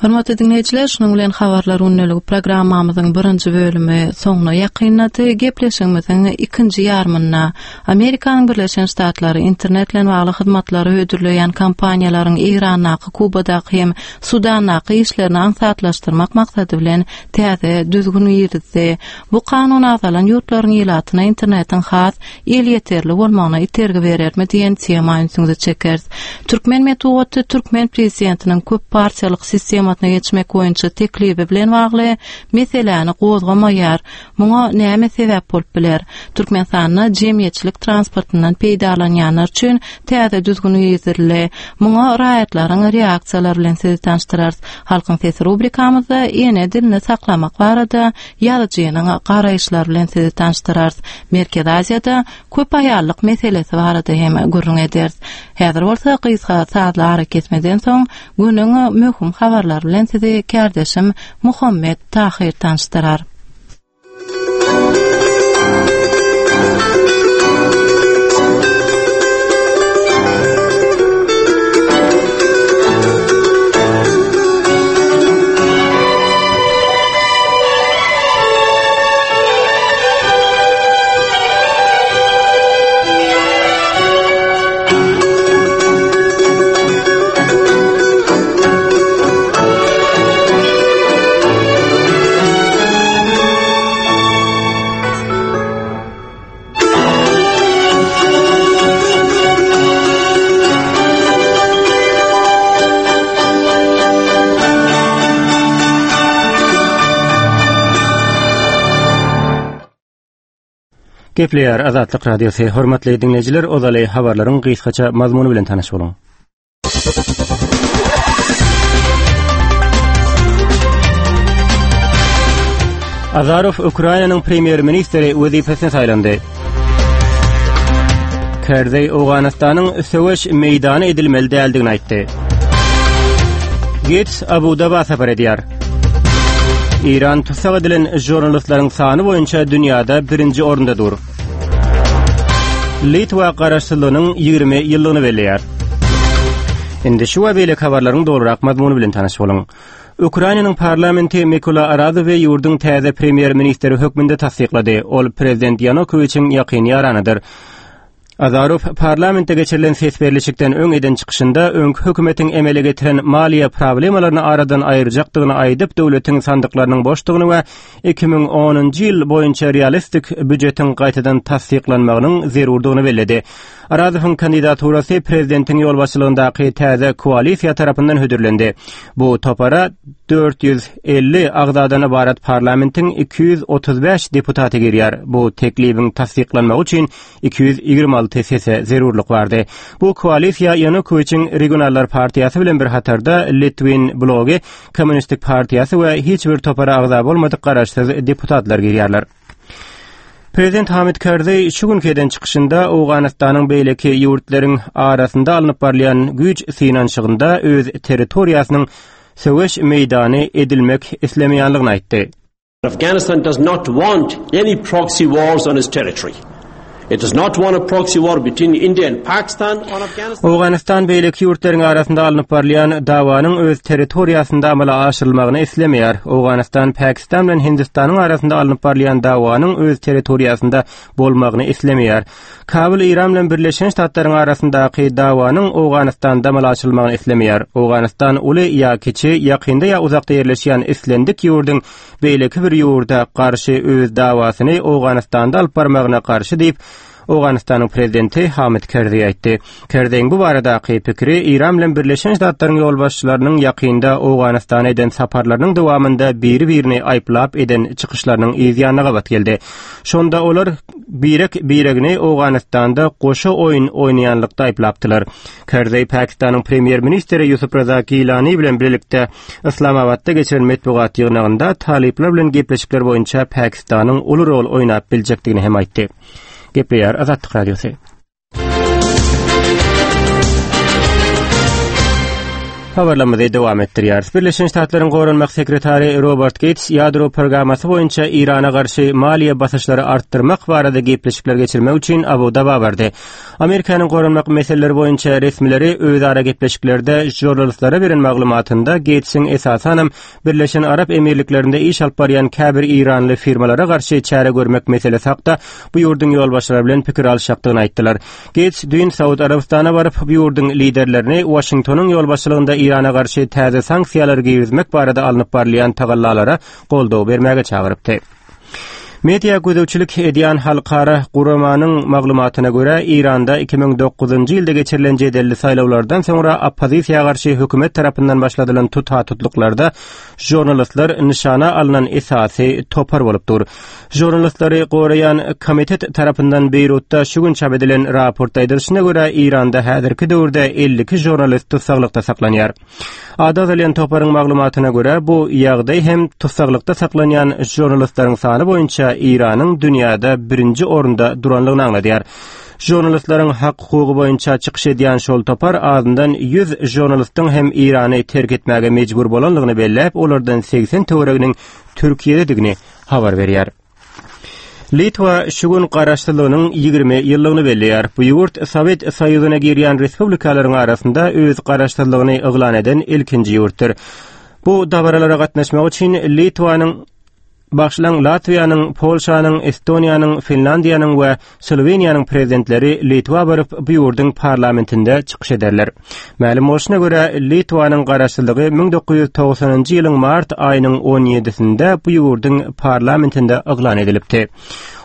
Hormatly diňleýjiler, şunuň bilen habarlar gündeligi programmamyzyň birinji bölümi soňuna ýakynlady. Gepleşigimiziň ikinji ýarymynda Amerikanyň Birleşen Ştatlary internet bilen bagly hyzmatlary hödürleýän kompaniýalaryň Eýrandaky, Kubadaky hem Sudandaky işlerini aňsatlaşdyrmak maksady bilen täze düzgün girizdi. Bu kanun agzalan ýurtlaryň ilatyna internetiň has elýeterli bolmagyna itergi berermi diýen tema ünsüňizi çekeris. Türkmen metbugaty türkmen prezidentiniň köp partiýalyk sistemasyna geçmek boýunça teklibi bilen bagly meseläni gozgamaýar. Muňa näme sebäp bolup biler? Türkmenistanda jemgyýetçilik transportyndan peýdalanýanlar üçin täze düzgün girizildi. Muňa raýatlaryň reaksiýalary bilen sizi tanyşdyrarys. Halkyň sesi rubrikamyzda ene dilini saklamak barada ýazyjynyň garaýyşlary bilen sizi tanyşdyrarys. Merkezi Aziýada köp aýallyk meselesi barada hem gürrüň ederis. Häzir bolsa gysga sazly arakesmeden soň günüň möhüm habarlary bilen sizi kärdeşim Muhammet Tahyr tanyşdyrar. Gepleýär Azatlyk Radiosy. Hormatly diňleýjiler, ozaly habarlaryň gysgaça mazmuny bilen tanyş boluň. Azarow Ukrainanyň premýer-ministri wezipesine saýlandy. Kerzeý Owganystanyň söweş meýdany edilmeli däldigini aýtdy. Gates Abu-Daba sapar edýär. Eýran tussag edilen žurnalistleriň sany boýunça dünýäde birinji orunda dur. Litwa garaşsyzlygynyň 20 ýyllygyny belleýär. Indi şu we beýleki habarlaryň dolurak mazmuny bilen tanyş boluň. Ukrainanyň parlamenti Mikola Arazowy ýurduň täze premýer-ministri hökmünde tassyklady. Ol prezident Ýanukowiçiň ýakyn ýaranydyr. Azarow parlamentde geçirilen ses berlişikden öň eden çykyşynda öňki hökümetiň emele getiren maliýe problemalaryny aradan aýyrjakdygyny aýdyp, döwletiň sandyklarynyň boşdugyny we 2010-njy ýyl boýunça realistik býujetiň gaýtadan tassyklanmagynyň zerurdygyny belledi. Arazowyň kandidaturasy prezidentiň ýolbaşçylygyndaky täze koalisiýa tarapyndan hödürlendi. Bu topara 450 agzadan ybarat parlamentiň 235 deputaty girýär. Bu teklibiň tassyklanmagy üçin 226 sese zerurlyk bardy. Bu koalisiýa Ýanukowiçiň Regionallar partiýasy bilen bir hatarda Litwin blogy, Kommunistik partiýasy we hiç bir topara agza bolmadyk garaşsyz deputatlar girýärler. Prezident Hamid Karzaý şu günki eden çykyşynda Owganystanyň beýleki ýurtlaryň arasynda alnyp barylýan güýç synanyşygynda öz territoriýasynyň söweş meýdany edilmek islemeýänligini aýtdy. Afghanistan does not want any proxy wars on its territory. It does not want a proxy war between India and Pakistan on Afghanistan. Owganystan beýleki ýurtlaryň arasynda alnyp barylýan dawanyň öz territoriýasynda amala aşyrylmagyny islemeýär. Owganystan Pakistan bilen Hindistanyň arasynda alnyp barylýan dawanyň öz territoriýasynda bolmagyny islemeýär. Kabul Eýran bilen Birleşen Ştatlaryň arasyndaky dawanyň Owganystanda amala aşyrylmagyny islemeýär. Owganystan uly ýa kiçi, ýakynda ýa uzakda ýerleşýän islendik ýurduň beýleki bir ýurda garşy öz dawasyny Owganystanda alyp barmagyna garşy diýip, Owganystanyň prezidenti Hamid Kerzeý aýtdy. Kerzeýiň bu baradaky pikiri Eýran bilen Birleşen Ştatlaryň ýolbaşçylarynyň ýakynda Owganystana eden saparlarynyň dowamynda biri-birini aýyplap eden çykyşlarynyň yz ýanyna gabat geldi. Şonda olar birek-biregini Owganystanda goşa oýun oýnaýanlykda aýyplapdylar. Kerzeý Pakistanyň premýer-ministri Ýusup Raza Gilani bilen birlikde Yslamabatda geçiren metbugat ýygnagynda talyplar bilen gepleşikler boýunça Pakistanyň uly rol oýnap biljekdigini hem aýtdy. Gepleýär Azatlyk Radiosy. Habarlarymyzy dowam etdirýäris. Birleşen Ştatlaryň Goranmak sekretary Robert Geýts ýadro programmasy boýunça Eýrana garşy maliýe basyşlary artdyrmak barada gepleşikler geçirmek üçin Abu-Daba bardy. Amerikanyň goranmak meseleleri boýunça resmileri özara gepleşiklerde žurnalistlere beren maglumatynda Geýtsiň esasanam Birleşen Arap Emirliklerinde iş alyp barýan käbir eýranly firmalara garşy çäre görmek meselesi hakda bu ýurduň ýolbaşçylary bilen pikir alyşjakdygyny aýtdylar. Geýts düýn Saud Arabystana baryp, bu ýurduň liderlerini Waşingtonyň ýolbaşçylygynda Eýrana garşy täze sanksiýalary girizmek barada alnyp barylýan tagallalara goldaw bermäge çagyrypdy. Media gözegçilik edýän halkara guramanyň maglumatyna görä, Eýranda 2009-njy ýylda geçirilen jedelli saýlawlardan soňra oppozisiýa garşy hökümet tarapyndan başladylan tuta-tutluklarda žurnalistler nyşana alnan esasy topar bolup dur. Žurnalistleri goraýan komitet tarapyndan Beýrutda şu gün çap edilen raportda aýdylyşyna görä, Eýranda häzirki döwürde 52 žurnalist tussaglykda saklanýar. Ady agzalýan toparyň maglumatyna görä, bu ýagdaý hem tussaglykda saklanýan žurnalistleriň sany boýunça Eýranyň dünýäde birinji orunda duranlygyny aňladýar. Žurnalistleriň hak-hukugy boýunça çykyş edýän şol topar azyndan 100 žurnalistiň hem Eýrany terk etmäge mejbur bolanlygyny belläp, olardan 80 töwereginiň Türkiýededigini habar berýär. Litwa şu gün garaşsyzlygynyň 20 ýyllygyny belleýär. Bu ýurt Sowet Soýuzyna girýän respublikalaryň arasynda öz garaşsyzlygyny yglan eden ilkinji ýurtdyr. Bu dabaralara gatnaşmak üçin Litwanyň Bagşylaň Latwiýanyň, Polşanyň, Estoniýanyň, Finlandiýanyň we Sloweniýanyň prezidentleri Litwa baryp, bu ýurduň parlamentinde çykyş ederler. Mälim bolşuna görä, Litwanyň garaşsyzlygy 1990-njy ýylyň mart aýynyň on ýedisinde bu ýurduň parlamentinde yglan edilipdi.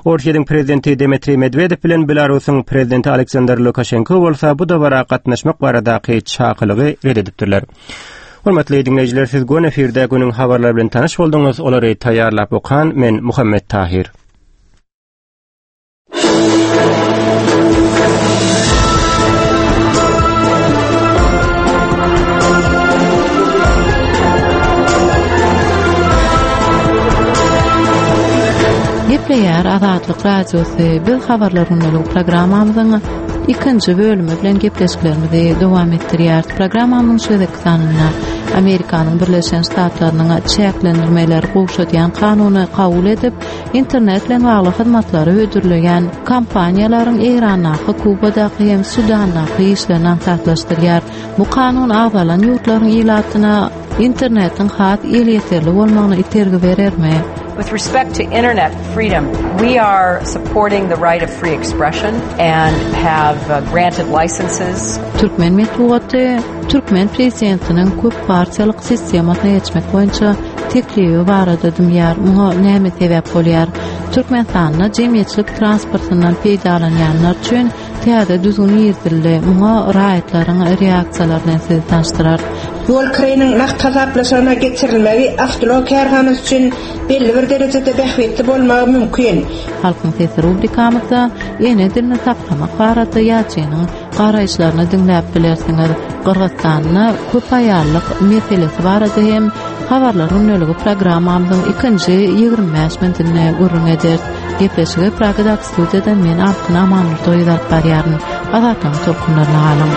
Orsýetiň prezidenti Dmitriý Medwedew bilen Belarusyň prezidenti Aleksandr Lukaşenko bolsa bu dabara gatnaşmak baradaky çakylygy ret edipdirler. Hormatly diňleýjiler, siz göni efirde günüň habarlary bilen tanyş bolduňyz. Olary taýýarlap okan men Muhammet Tahir. Gepleýär Azatlyk Radiosy. Biz habarlar gündeligi programmamyzyň ikinji bölümi bilen gepleşiklerimizi dowam etdirýäris. Programmamyzyň şu gezekki sanynda Amerikanyň Birleşen Ştatlarynyň çäklendirmeleri gowşadýan kanuny kabul edip, internet bilen bagly hyzmatlary hödürleýän kompaniýalaryň Eýrandaky, Kubadaky hem Sudandaky işlerini aňsatlaşdyrýar. Bu kanun agzalan ýurtlaryň ilatyna internetiň has elýeterli bolmagyna itergi berermi? With respect to internet freedom, we are supporting the right of free expression and have uh, granted licenses. Türkmen metbugaty türkmen prezidentiniň köp partiýalyk sistemasyna geçmek boýunça teklibi barada dymýar. Muňa näme sebäp bolýar? Türkmenistanda jemgyýetçilik transportyndan peýdalanýanlar üçin täze düzgün girizildi. Muňa raýatlaryň reaksiýalary bilen sizi tanyşdyrarys. Ýol kireýiniň nagt hasaplaşygyna geçirilmegi awtoulag kärhanasy üçin belli bir derejede bähbitli bolmagy mümkin. Halkyň sesi rubrikamyzda ene dilini saklamak barada ýazyjynyň garaýyşlaryny diňläp bilersiňiz. Gyrgyzystanda köp aýallyk meselesi barada hem Habarlar gündeligi programmamyzyň ikinji 25 minutynda gürrüň ederis. Gepleşigi Pragadaky studiýadan men Altyn Amanmurdoýew alyp barýaryn. Azatlygyň tolkunlaryna galyň.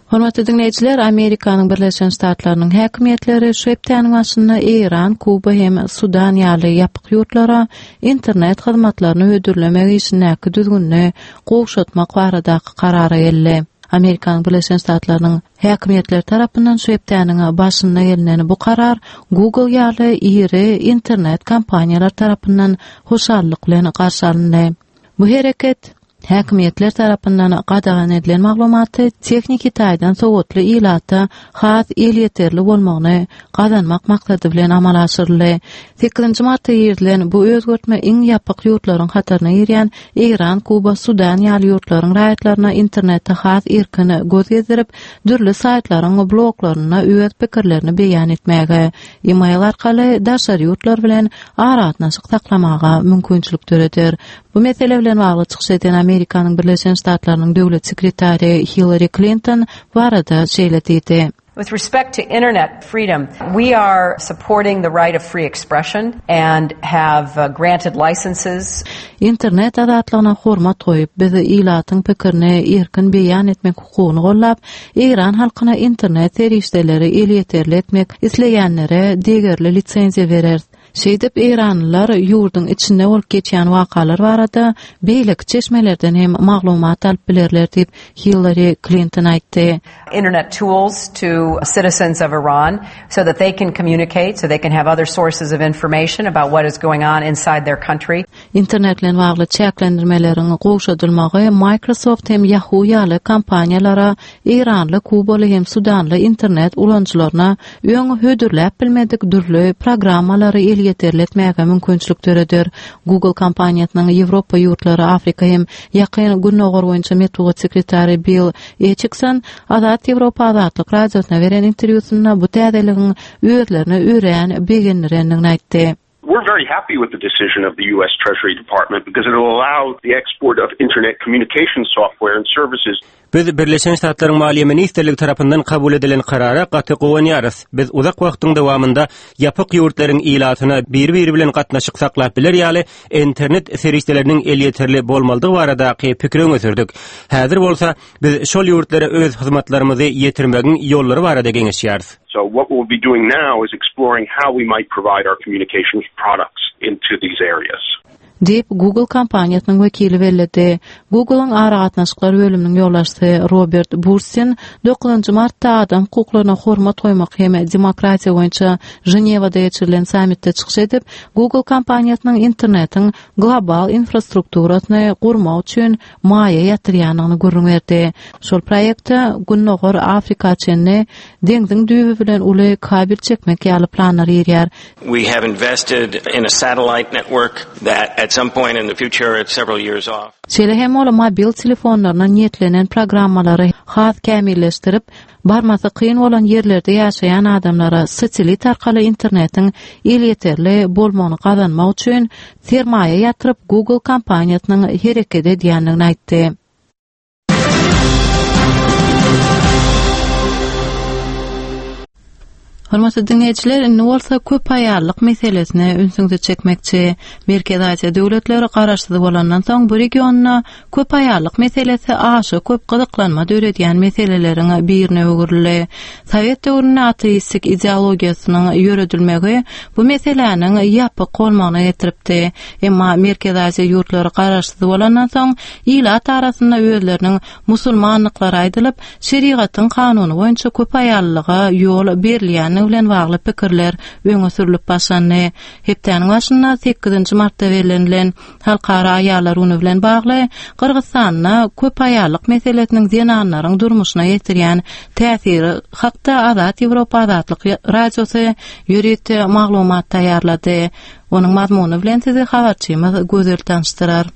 Hormatly diňleýjiler, Amerikanyň Birleşen Ştatlarynyň häkimiýetleri şu hepdäniň başynda Eýran, Kuba hem Sudan ýaly ýapyk ýurtlara internet hyzmatlaryny hödürlemek işindäki düzgünini gowşatmak baradaky karara geldi. Amerikanyň Birleşen Ştatlarynyň häkimiýetleri tarapyndan şu hepdäniň başynda gelnen bu karar Google ýaly iri internet kompaniýalar tarapyndan hoşallyk bilen garşy alyndy. Bu hereket Häkimiýetler tarapyndan gadagan edilen maglumaty tehniki taýdan sowatly ilata has elýeterli bolmagyny gazanmak maksady bilen amala aşyryldy. Sekizinji martda girizilen bu özgertme iň ýapyk ýurtlaryň hataryna girýän Eýran, Kuba, Sudan ýaly ýurtlaryň raýatlaryna internetde has erkin göz gezdirip, dürli saýtlaryň bloglarynda öz pikirlerini beýan etmäge, e-mail arkaly daşary ýurtlar bilen aragatnaşyk saklamaga mümkinçilik döreder. Bu mesele bilen bagly çykyş eden Amerikanyň Birleşen Ştatlarynyň döwlet sekretary Hillari Klinton bu barada şeýle diýdi. With respect to internet freedom, we are supporting the right of free expression and have uh, granted licenses. Internet azatlygyna hormat goýup, biz ilatyň pikirini erkin beýan etmek hukugyny gollap, Eýran halkyna internet serişdeleri elýeterli etmek isleýänlere degerli lisenziýa bereris. Şeýdip, eýranlylar ýurduň içinde bolup geçýän wakalar barada beýleki çeşmelerden hem maglumat alyp bilerler diýip, Hillari Klinton aýtdy. Internet tools to citizens of Iran so that they can communicate, so they can have other sources of information about what is going on inside their country. Internet bilen bagly çäklendirmeleriň gowşadylmagy Microsoft hem Yahoo ýaly kompaniýalara eýranly, kubaly hem sudanly internet ulanyjylaryna öň hödürläp bilmedik dürli programmalary elýeterli etmäge mümkinçilik döreder. Google kompaniýasynyň Ýewropa ýurtlary, Afrika hem Ýakyn Gündogar boýunça metbugat sekretary Bill Eçikson Azat Ýewropa Azatlyk Radiosyna beren interwýusynda bu täzeligiň özlerini örän begendirendigini aýtdy. We're very happy with the decision of the US Treasury Department because it will allow the export of internet communication software and services. Biz Birleşen Ştatlaryň Maliýe ministrligi tarapyndan kabul edilen karara gaty guwanýarys. Biz uzak wagtyň dowamynda ýapyk ýurtlaryň ilatyna biri-biri bilen gatnaşyk saklap biler ýaly internet serişdeleriniň elýeterli bolmalydygy baradaky pikiri öňe sürdük. Häzir bolsa biz şol ýurtlara öz hyzmatlarymyzy ýetirmegiň ýollary barada geňeşýäris. So what we'll be doing now is exploring how we might provide our communications products into these areas. Diýip, Google kompaniýasynyň wekili belledi. Google-yň aragatnaşyklar bölüminiň ýolbaşçysy Robert Burstin dokuzynjy martda adam hukuklaryna hormat goýmak hem demokratiýa boýunça Ženewada geçirilen sammitde çykyş edip, Google kompaniýasynyň internetiň global infrastrukturasyny gurmak üçin maýa ýatyrýandygyny gürrüň berdi. Şol proýektde Gündogar Afrika çenli deňziň düýbi bilen uly kabel çekmek ýaly planlar girýär. We have invested in a satellite network that at some point in the future, it's several years off. Şeýle hem. hem ol mobil telefonlaryna niýetlenen programmalary has kämilleşdirip, barmasy kyn bolan ýerlerde ýaşaýan adamlara satellit arkaly internetiň elýeterli bolmagyny gazanmak üçin sermaýa ýatyryp Google kompaniýasynyň hereket edýändigini aýtdy. Hormatly diňleýjiler, indi bolsa köp aýallyk meselesine ünsüňizi çekmekçi. Merkezi Aziýa döwletleri garaşsyz bolandan soň bu regionda köp aýallyk meselesi aşa köp gyzyklanma döredýän meseleleriň birine öwrüldi. Sowet döwründe ateistik ideologiýasynyň ýöredilmegi bu meseläniň ýapyk bolmagyna getiripdi. Emma Merkezi Aziýa ýurtlary garaşsyz bolandan soň ilat arasynda özleriniň musulmandyklary aýdylyp, şerigatyň kanuny boýunça köp aýallylyga ýol berilýändigi bilen bagly pikirler öňe sürlüp başlandy. Hepdäniň başynda sekizinji martda bellenilen Halkara aýallar güni bilen bagly Gyrgyzystanda köp aýallyk meselesiniň zenanlaryň durmuşyna ýetirýän täsiri hakda Azat Ýewropa Azatlyk Radiosy ýörite maglumat taýýarlady. Onuň mazmuny bilen sizi habarçymyz Gözel tanyşdyrar.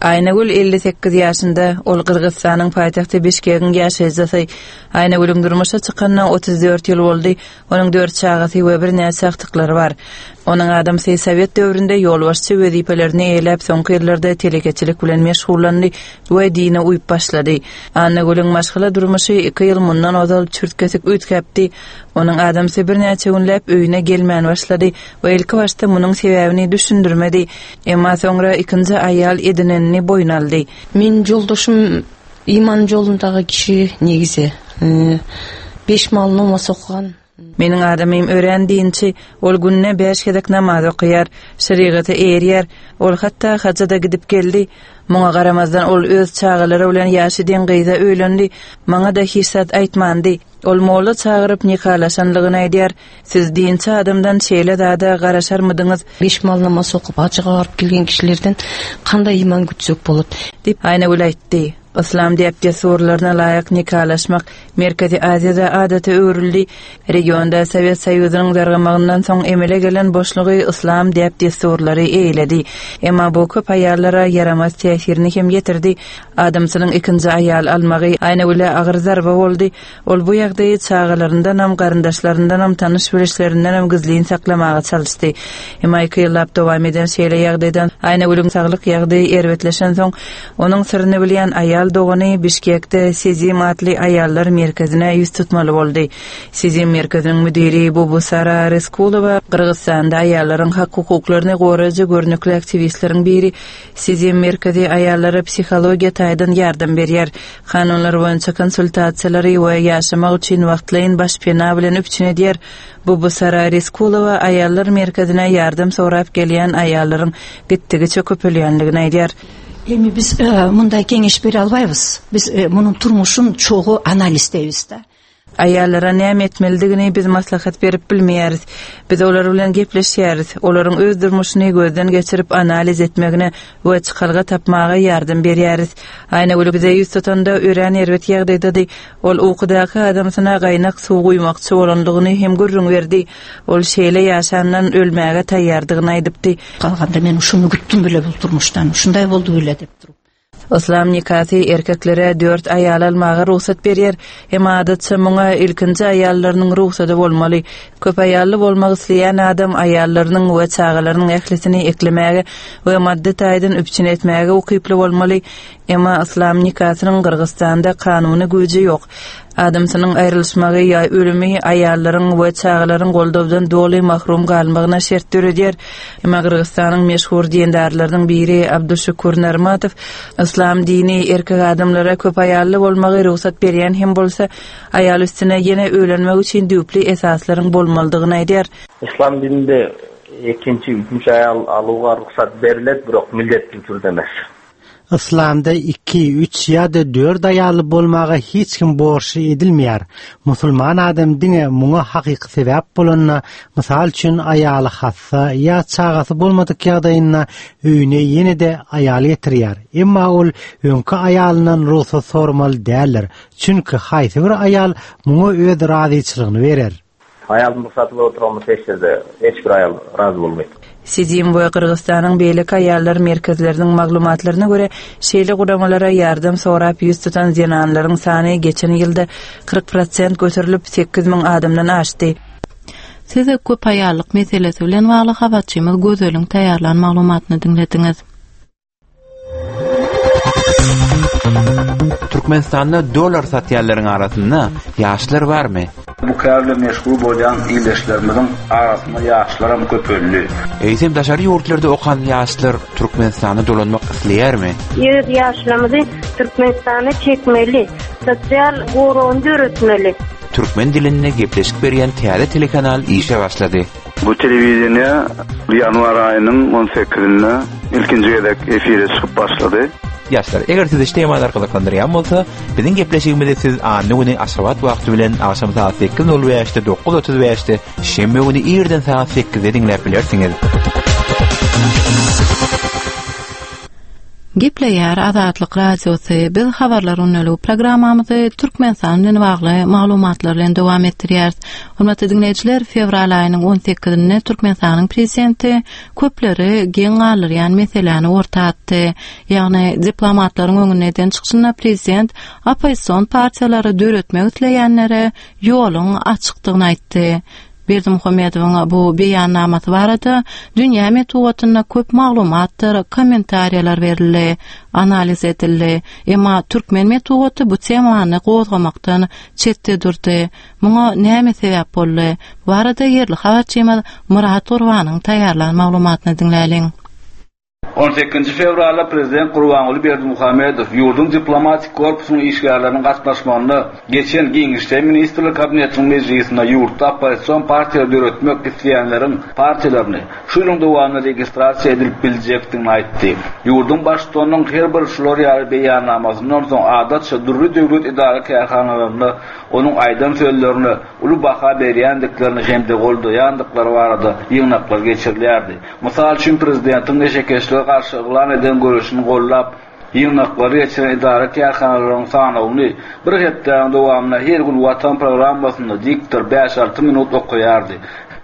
Aýnagül 58 ýaşynda, ol Gyrgyzystanyň paýtagty Bişkegiň ýaşaýjysy. Aýnagülüň durmuşa çykanyna 34 ýyl boldy, onuň dört çagasy we birnäçe agtyklary bar. Onuň adamsy sowet döwründe ýolbaşçy wezipelerini eýeläp, soňky ýyllarda telekeçilik bilen meşgullandy we dine uýup başlady. Annagülüň maşgala durmuşy iki ýyl mundan ozal çürt-kesik üýtgäpdi. Onuň adamsy birnäçe günläp öýüne gelmän başlady we ilkibaşda munuň sebäbini düşündirmedi. Emma soňra ikinji aýal edinenini boýun aldy. Meniň ýoldaşym iman ýolundagy kişi negizi. Beş mal namaz okan. Meniň adamym örän dinçi, ol günde bäş gezek namaz okaýar, şerigata eýerýär, ol hatda haja-da gidip geldi. Muňa garamazdan ol öz çagalary bilen ýaşy deň gyza öýlendi, maňa-da hiç zat aýtmandy. Ol molla çagyryp nikalaşanlygyny aýdýar. Siz dinçi adamdan şeýle zada garaşarmydyňyz? Beş mal namaz okyp, hajyga baryp gelgen kişilerden kanday iman gütsek bolat? Diýip, Aýnagül aýtdy. Yslam däp-dessurlaryna laýyk nikalaşmak Merkezi Aziýada adata öwrüldi. Regionda Sowet Soýuzynyň dargamagyndan soň emele gelen boşlugy yslam däp-dessurlary eýeledi. Emma bu köp aýallara ýaramaz täsirini hem ýetirdi. Adamsynyň ikinji aýal almagy Aýnagüle agyr zarba boldy. Ol bu ýagdaýy çagalaryndanam, garyndaşlaryndanam, tanyş-bilişlerindenem gizlin saklamaga çalyşdy. Emma iki ýyllap dowam eden şeýle ýagdaýdan Aýnagülüň saglyk ýagdaýy erbetleşensoň, onuň syryny bilýän aýal dogany Bişkekde Sezim atly aýallar merkezine ýüz tutmaly boldy. Sezim merkeziniň müdiri Bubusara Ryskulowa Gyrgyzystanda aýallaryň hak-hukuklaryny goraýjy görnükli aktiwistleriň biri. Sezim merkezi aýallara psihologiýa taýdan ýardam berýär. Kanunlar boýunça konsultasiýalary we ýaşamak üçin wagtlaýyn başpena bilen üpjün edýär. Bubusara Reskulowa aýallar merkezine ýardam sorap gelýän aýallaryň gitdigiçe köpelýändigini aýdýar. Эми биз мындай кеңеш бере албайбыз. Биз мунун турмушун чогуу анализдейбиз да. Aýallara näme etmelidigini biz maslahat berip bilmeýäris. Biz olar bilen gepleşýäris, olaryň öz durmuşyny gözden geçirip analiz etmegine we çykalga tapmaga ýardam berýäris. Aýnagül bize ýüz tutanda örän erbet ýagdaýdady. Ol ukudaky adamsyna gaýnak suw guýmakçy bolandygyny hem gürrüň berdi. Ol şeýle ýaşandan ölmäge taýýardygyny aýdypdy. Galganda men uşuny gütdüm bile bul turmuşdan, uşunday boldy bile dep turup. Yslam nikasy erkeklere dört aýal almaga rugsat berýär, emma adatça muňa ilkinji aýallarynyň rugsady bolmaly. Köp aýally bolmak isleýän adam aýallarynyň we çagalarynyň ählisini eklemäge we maddy taýdan üpjün etmäge ukyply bolmaly. Emma yslam nikasynyň Gyrgyzystanda kanuny güýji ýok. Adamsynyň aýrylyşmagy ýa ölümi aýallaryň we çagalaryň goldawdan doly mahrum galmagyna şert döredýär. Emma Gyrgyzystanyň meşhur dindarlarynyň biri Abduşukur Narmatow yslam dini erkek adamlara köp aýally bolmagy rugsat berýän hem bolsa, aýal üstüne ýene öýlenmek üçin düýpli esaslaryň bolmalydygyny aýdýar. Yslam dininde ikinji, üçünji aýal aluwga rugsat beriled, birok mildetli türde emes. Yslamda iki, üç ýa-da dört aýally bolmaga hiç kim borçly edilmeýär. Musulman adam diňe muňa hakyky sebäp bolanda, mysal üçin, aýaly hassa ýa çagasy bolmadyk ýagdaýynda öýüne ýene-de aýal getirýär. Emma ol öňki aýalyndan rugsat soramaly däldir. Çünki haýsy bir aýal muňa öz razyçylygyny berer? Aýalyň rugsaty bolup oturan bolsa hiç ýerde hiç bir aýal razy bolmaýar. Sidim we Gyrgyzystanyň beýleki aýallar merkezleriniň maglumatlaryna görä, şeýle guramalara ýardam sorap ýüz tutan zenanlaryň sany geçen ýylda 40 prosent göterilip, 8000 adamdan aşdy. Siz köp aýallyk meselesi bilen bagly habarçymyz Gözeliň taýýarlan maglumatyny diňlediňiz. Türkmenistanda dollar satýanlaryň arasynda ýaşlar barmy? Bu kär bilen meşgul bolýan ildeşlerimiziň arasynda ýaşlaram köpeldi. Eýsem daşary ýurtlarda okan ýaşlar Türkmenistana dolanmak isleýärmi? Öz ýaşlarymyzy Türkmenistana çekmeli, sosial goragyny döretmeli. Türkmen dilinde gepleşik berýän täze telekanal işe başlady. Bu telewideniýe ýanwar aýynyň on sekizinde ilkinji gezek efire çykyp başlady. Ýaşlar, eger sizi şu temalar gyzyklandyrýan bolsa, biziň gepleşigimizi siz anna güni Aşgabat wagty bilen agşam sagat sekiz nol bäşde, 9:35-de, şenbe güni irden sagat sekizde diňläp bilersiňiz. Gepleýär Azatlyk Radiosy, biz Habarlar gündeligi programmamyzy Türkmenistan bilen bagly maglumatlar bilen dowam etdirýäris. Hormatly diňleýjiler, fewral aýynyň on sekizinde Türkmenistanyň Prezidenti köpleri geň galdyrýan meseläni orta atdy. Ýagny, diplomatlaryň öňünde eden çykyşynda prezident oppozision partiýalary döretmek isleýänlere ýoluň açykdygyny aýtdy. Berdimuhamedowyň bu beýannamasy barada dünýä metbugatynda köp maglumatdyr kommentariýalar berildi, analiz edildi. Emma türkmen metbugaty bu temany gozgamakdan çetde durdy. Muňa näme sebäp boldy? Bu barada ýerli habarçymyz Myrat Gurbanyň taýýarlan maglumatyny diňläliň. On sekizinji fewralda prezident Gurbanguly Berdimuhamedow ýurduň diplomatik korpusynyň işgärleriniň gatnaşmagynda geçen giňişleýin Ministrler Kabinetiniň mejlisinde ýurtda oppozision partiýalary döretmek isleýänleriň partiýalaryny şu ýylyň dowamynda registrasiýa edilip biljekdigini aýtdy. Ýurduň Baştutanynyň her bir şular ýaly beýannamasyndan soň adatça dürli döwlet edara-kärhanalarynda onuň aýdan sözlerine uly baha berýändiklerini hem-de goldaýandyklary barada ýygnaklar geçirilýärdi. Mysal üçin, prezidentiň neşekeşlige garşy yglan eden göreşini goldap, ýygnaklary geçiren edara-kärhanalaryň sanawyny bir hepdäniň dowamynda her gün Watan programmasynda diktor bäş-alty minut okaýardy.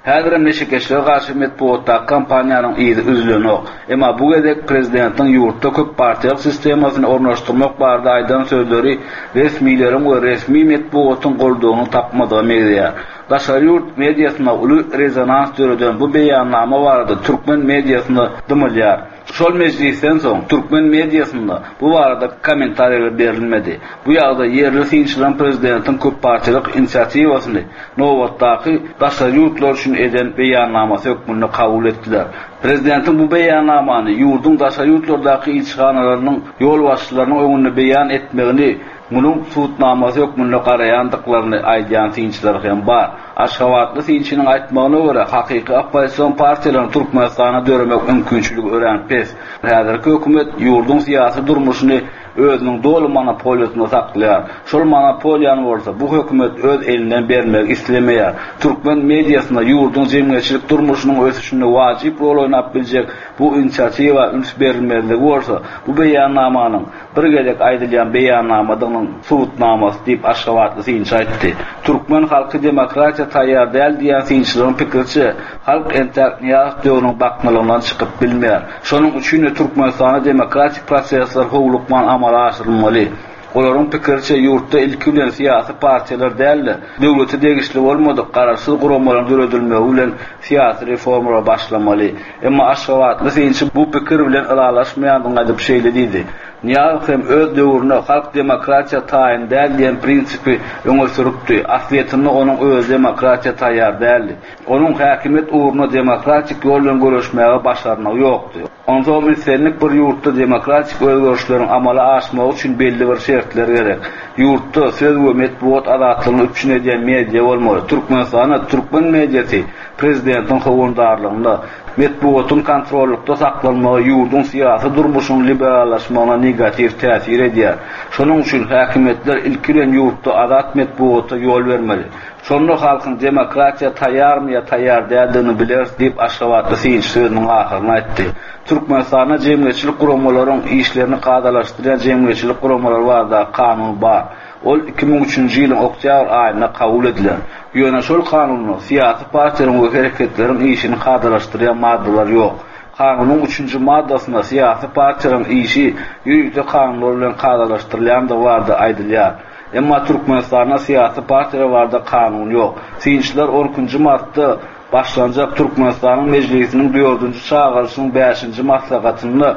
Häzirem neşekeşlige garşy metbugatdaky kampaniýanyň yzy üzülenok. Emma bu gezek prezidentiň ýurtda köppartiýalyk sistemasyny ornaşdyrmak barada aýdan sözleri resmileriň we resmi metbugatyň goldawyny tapmadyga meňzeýär. Daşary ýurt mediasynda uly rezonans döreden bu beýannama barada türkmen mediasynda dymylýar. Şol mejlisden soň türkmen mediasynda bu barada kommentariýalar berilmedi. Bu ýagdaý ýerli synçylaryň prezidentiň köppartiýalyk inisiatiwasyny nobatdaky daşary ýurtlar üçin eden beýannamasy hökmünde kabul etdiler. Prezidentiň bu beýannamany ýurduň daşary ýurtlardaky ilçihanalarynyň ýolbaşçylarynyň öňünde beýan etmegini Munuň subutnamasy hökmünde garaýandyklaryny aýdýan synçylar hem bar. Aşgabatly synçynyň aýtmagyna görä, hakyky oppozision partiýalaryň Türkmenistanda döremek mümkinçiligi örän pes. Häzirki hökümet ýurduň syýasy durmuşyny özüniň doly monopoliýasynda saklaýar. Şol monopoliýany bolsa bu hökümet öz elinden bermegi islemeýär. Türkmen mediasynda ýurduň jemgyýetçilik durmuşynyň ösüşinde wajyp rol oýnap biljek bu inisiatiwa üns berilmezligi bolsa bu beýannamanyň bir gezek aýdylýan beýannamadygynyň subutnamasy diýip, aşgabatly synçy aýtdy. Türkmen halky demokratiýa taýýar däl diýýän synçylaryň pikiriçe, halk entäk Nyýazow döwrüniň baknalygyndan çykyp bilmeýär. Şonuň üçin-de Türkmenistanda demokratik prosesler howlukman amala aşyrylmaly. Olaryň pikiriçe, ýurtda ilki bilen syýasy partiýalar däl-de, döwlete degişli bolmadyk garaşsyz guramalaryň döredilmegi bilen syýasy reformalara başlamaly. Emma aşgabatly synçy bu pikir bilen ylalaşmaýandygyny aýdyp şeýle diýdi, Nyýazow hem öz döwründe halk demokratiýa taýyn däl diýen prinsipi öňe sürüpdi. Aslyýetinde onuň özi demokratiýa taýýar däldi. Onuň häkimiýet ugrunda demokratik ýol bilen göreşmäge başarnygy ýokdy. Onsoňam islendik bir ýurtda demokratik özgerişleriň amala aşmagy üçin belli bir şertler gerek. Ýurtda söz we metbugat azatlygyny üpjün edýän media bolmaly. Türkmenistanda türkmen mediasy Prezidentiň howandarlygynda metbugatyň kontrollykda saklanmagy ýurduň syýasy durmuşynyň liberallaşmagyna negatiw täsir edýär. Şonuň üçin häkimiýetler ilki bilen ýurtda azat metbugata ýol bermeli. Şonda halkyň demokratiýa taýýarmy ýa taýýar däldigini bileris diýip, aşgabatly synçy sözüniň ahyryny aýtdy. Türkmenistanda jemgyýetçilik guramalaryň işlerini kadalaşdyrýan Jemgyýetçilik guramalary baradaky kanun bar. Ol 2003-nji ýylyň oktýabr aýynda kabul edilen. Ýöne şol kanunda syýasy partiýalaryň we hereketleriň işini kadalaşdyrýan maddalar ýok. Kanunyň üçünji maddasynda syýasy partiýalaryň işi ýörite kanunlar bilen kadalaşdyrylýandygy barada aýdylýar. Emma Türkmenistanda syýasy partiýalar barada kanun ýok. Synçylar on ikinji martda başlanjak Türkmenistanyň Mejlisiniň dördünji çagyryşynyň bäşinji maslahatynda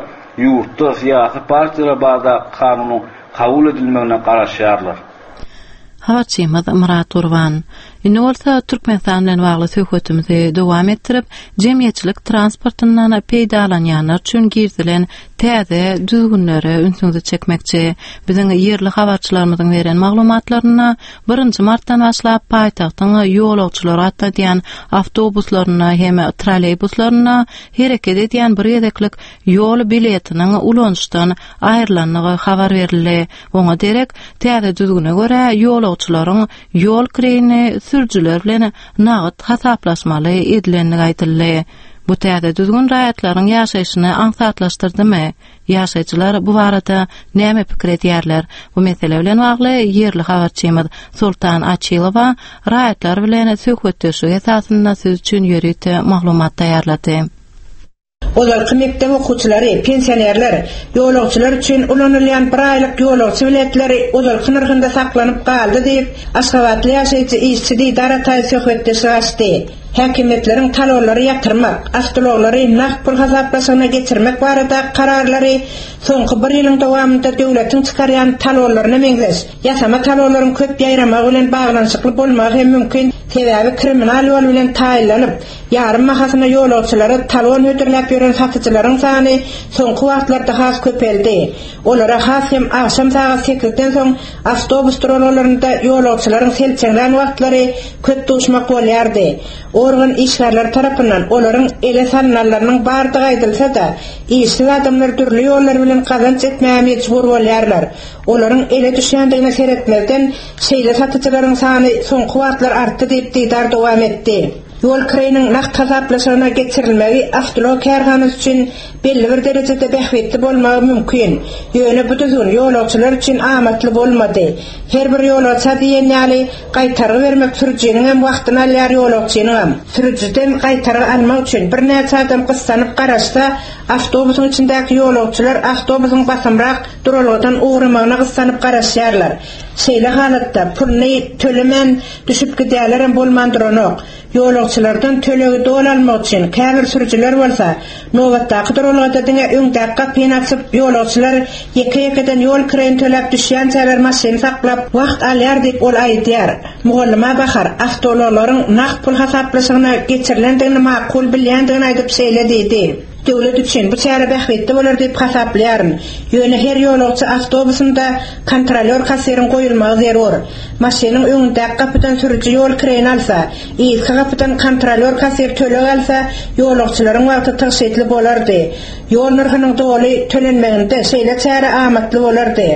ýurtda syýasy partiýalar baradaky kanunyň kabul edilmegine garaşýarlar. Habarçymyz Myrat Gurban. Indi bolsa Türkmenistan bilen bagly söhbetimizi dowam etdirip, jemgyýetçilik transportyndan peýdalanýanlar üçin girizilen täze düzgünlere ünsüňizi çekmekçi. Biziň ýerli habarçylarymyzyň beren maglumatlarynda birinji martdan başlap paýtagtyň ýolagçylary gatnadýan awtobuslarynda hem trolleýbuslarynda hereket edýän bir gezeklik ýol biletiniň ulanyşdan aýrylandygy habar berildi. Oňa derek, täze düzgüne görä, ýolagçylaryň ýol kireýini sürüjiler bilen nagt hasaplaşmaly edilendigi aýdyldy. Bu täze düzgün raýatlaryň ýaşaýşyny aňsatlaşdyrdymy? Ýaşaýjylar bu barada näme pikir edýärler? Bu mesele bilen bagly ýerli habarçymyz Soltan Açylowa raýatlar bilen söhbetdeşlik esasynda siz üçin ýörite maglumat taýýarlady. Ozalky mekdep okuwçylary, pensionerler, ýolagçylar üçin ulanylýan bir aýlyk ýolagçy biletleri ozalky nyrhynda saklanyp galdy diýip, aşgabatly ýaşaýjy işçi Didar Ataýew söhbetdeşlik açdy. Häkimiýetleriň talonlary ýatyrmak, awtoulaglary nagt pul hasaplaşygyna geçirmek baradaky kararlary soňky bir ýylyň dowamynda döwletiň çykarýan talonlaryna meňzeş ýasama talonlaryň köp ýaýramagy bilen baglanyşykly bolmagy hem mümkin, sebäbi kriminal ýol bilen taýynlanyp, Ýarym bahasyna ýolagçylara talon hödürläp ýören satyjylaryň sany soňky wagtlarda has köpeldi. Olara has hem agşam sagat sekizden soň awtobus duralgalarynda ýolagçylaryň selçeňlän wagtlary köp duşmak bolýardy. Organ işgärleri tarapyndan olaryň ele salynanlarynyň bardygy aýdylsa-da, işsiz adamlar dürli ýollar bilen gazanç etmäge mejbur bolýarlar. Olaryň ele düşýändigine seretmezden, şeýle satyjylaryň sany soňky wagtlar artdy diýip, Didar dowam etdi. Ýol kireýiniň nagt hasaplaşygyna geçirilmegi awtoulag kärhanasy üçin belli bir derejede bähbitli bolmagy mümkin. Ýöne bu düzgün ýolagçylar üçin amatly bolmady. Her bir ýolagça diýen ýaly gaýtargy bermek sürüjiniňem wagtyny alýar ýolagçynyňam. Sürüjiden gaýtargy almak üçin birnäçe adam gyssanyp garaşsa, awtobusyň içindäki ýolagçylar awtobusyň basymrak duralgadan ugramagyna gyssanyp garaşýarlar. Şeýle halatda puluny tölemän düşüp gidýärlerem bolman duranok. Ýolagçylardan tölegi doly almak üçin käbir sürüjiler bolsa, nobatdaky duralgada diňe öňdäki gapyny açyp, ýolagçylar ýeke-ýekeden ýol kireýini töläp düşýänçäler maşyny saklap, wagt alýar diýip, ol aýdýar. Mugallyma Bahar awtoulaglaryň nagt pul hasaplaşygyna geçirilendigini makul bilýändigini aýdyp şeýle diýdi. Döwlet üçin bu çäre bähbitli bolar diýip hasaplaýaryn. Ýöne her ýolagçy awtobusynda kontrolýor-kassiriň goýulmagy zerur. Maşynyň öňündäki gapydan sürüji ýol kireýini alsa, yzky gapydan kontrolýor-kassir töleg alsa, ýolagçylaryň wagty tygşytly bolardy. Ýol nyrhynyň doly tölenmeginde şeýle çäre amatly bolardy.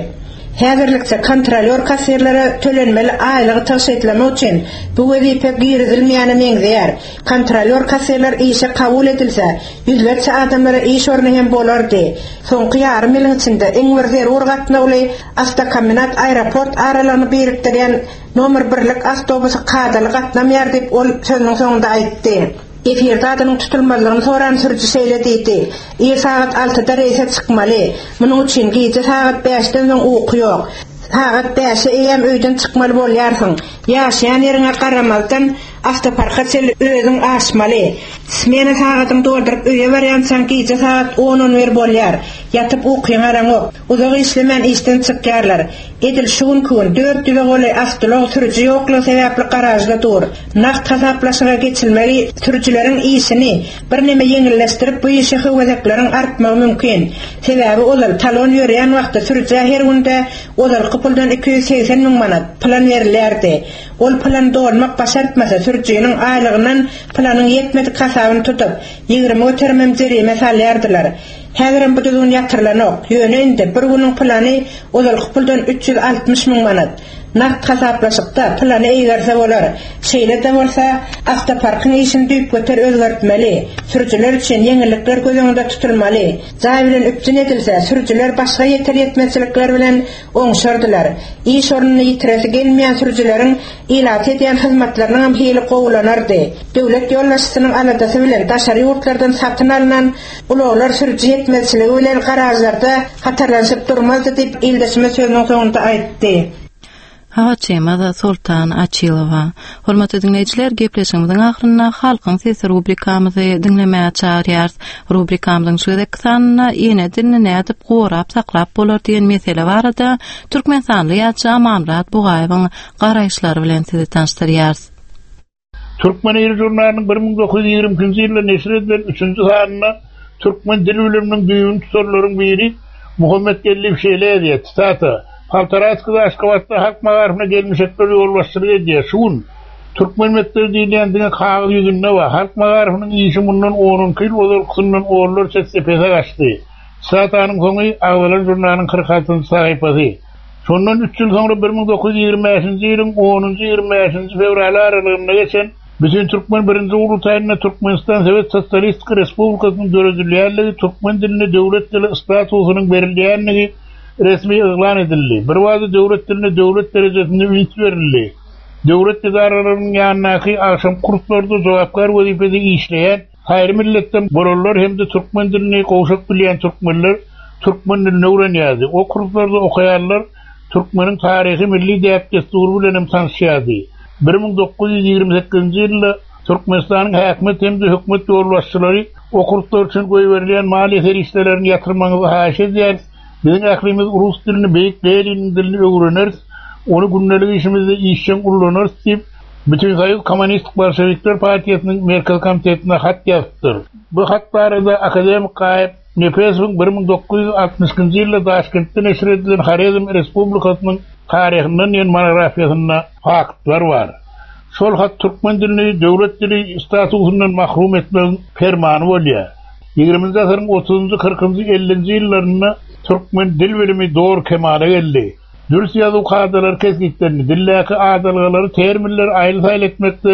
Häzirlikçe kontrolýor-kassirlere tölenmeli aýlygy tygşytlamak üçin bu wezipe girizilmeýäne meňzeýär. Kontrolýor-kassirler işe kabul edilse, ýüzlerçe adamlara iş orny hem bolardy. Soňky ýarym ýylyň içinde iň bir zerur gatnawly Awtokombinat-aeroport aralygyny birikdirýän nomer birlik awtobusy kadaly gatnamaýar diýip, ol sözüniň soňunda aýtdy. Efirde adynyň tutulmazlygyny soran sürüji şeýle diýdi, Ir sagat altyda reýse çykmaly. Munuň üçin gije sagat bäşden soň uky ýok. Sagat bäşe eýýäm öýden çykmaly bolýarsyň. Ýaşaýan ýeriňe garamazdan, Awtoparka çenli özüň aşmaly. Smena sagadyňy dolduryp öýe barýançaň gije sagat on-on bir bolýar. Ýatyp ukyňy alaňok. Uzak işlemän işden çykýarlar. Edil şu günki gün dört ýüze golaý awtoulag sürüji ýoklugy sebäpli garažda dur. Nagt hasaplaşyga geçilmegi sürüjileriň işini birneme ýeňilleşdirip bu işe höwesekleriň artmagy mümkin. Sebäbi ozal talon ýörýän wagty sürüjä her günde ozalky puldan 280 müň manat plan berilýärdi. Ol plany dolmak başartmasa, sürüjiniň aýlygyndan planyň ýetmedik hasabyny tutup, 20 göterimem jerime salýardylar. Häzirem bu düzgün ýatyrylanok. Ýöne indi bir günüň plany ozalky puldan 360 müň manat. Nagt hasaplaşykda pylany eýgerse bolar. Şeýle-de bolsa, awtoparkyň işini düýpgöter özgertmeli, sürüjiler üçin ýeňillikler göz öňünde tutulmaly. Jaý bilen üpjün edilse, sürüjiler başga ýeter-ýetmezçilikler bilen oňşardylar. Iş ornuny ýitiresi gelmeýän sürüjileriň ilata edýän hyzmatlarynyňam hili gowulanardy. Döwlet ýolbaşçysynyň aladasy bilen daşary ýurtlardan satyn alnan ulaglar sürüji ýetmezçiligi bilen garažlarda hatarlanyşyp durmazdy diýip, ildeşimiz sözüniň soňunda aýtdy. Habarçymyz Soltan Açylowa. Hormatly diňleýjiler, gepleşigimiziň ahyrynda Halkyň sesi rubrikamyzy diňlemäge çagyrýarys. Rubrikamyzyň şu gezekki sanynda ene dilini nädip gorap saklap bolar diýen mesele barada türkmenistanly ýazyjy Amanmyrat Bugaýewiň garaýyşlary bilen sizi tanyşdyrýarys. Türkmen ili žurnalynyň 1922-nji ýylda neşir edilen üçünji sanynda türkmen dil biliminiň düýbüni tutanlaryň biri Muhammet Geldiýew şeýle ýazýar, sitata, Poltaraskiý Aşgabatda halk magaryfyna gelmişekler ýolbaşçylyk edýär. Şu gün türkmen mekdebi diýilýän diňe kagyz ýüzünde bar. Halk magaryfynyň işi mundan on-onki ýyl ozalkysyndan onlarça esse pese gaçdy. Sitatanyň soňy agzalan žurnalyň 46-njy sahypasy. Şondan üç ýyl soňra 1925-nji ýylyň onunjy-ýigrimi bäşinji fewraly aralygynda geçen Bütintürkmen birinji gurultaýynda Türkmenistan Sowet Sosialistik Respublikasynyň döredilýänligi, türkmen diline döwlet dili statusynyň berilýänligi resmi yglan edildi. Birbada döwlet diline döwlet derejesinde üns berildi. Döwlet edaralarynyň ýanyndaky agşamky kurslarda jogapkär wezipede işleýän Saýry milletden bolanlar hem-de türkmen dilini gowşak bilýän türkmenler türkmen dilini öwrenýärdi. O kurslarda okaýanlar türkmeniň taryhy, milli däp-dessury bilen hem tanyşýardy. 1928-nji ýylda Türkmenistanyň häkimiýet hem-de hökümet ýolbaşçylary o kurslar üçin goýberilýän maliýe serişdelerini ýatyrmagyňyzy haýyş edýäris, biziň ählimiz rus dilini, beýik Leniniň dilini öwreneris, ony gündelik işimizde işjeň ullanarys diýip, Bütinsoýuz Kommunistik Bolşewikler partiýasynyň Merkezi Komitetine hat ýazypdyr. Bu hat barada akademik Gaýyp Nepesowyň 1962-nji ýylda Daşkentde neşir edilen Horezm Respublikasynyň taryhyndan diýen monografiýasynda faktlar bar. Şol hat türkmen dilini döwlet dili statusyndan mahrum etmegiň permany bolýar. Ýigriminji asyryň otuzynjy, kyrkynjy, ellinji ýyllarynda türkmen dil bilimi doly kemala geldi. Dürs ýazuw kadalary kesgitlendi, dildäki adalgalary, terminleri aýyl-saýyl etmekde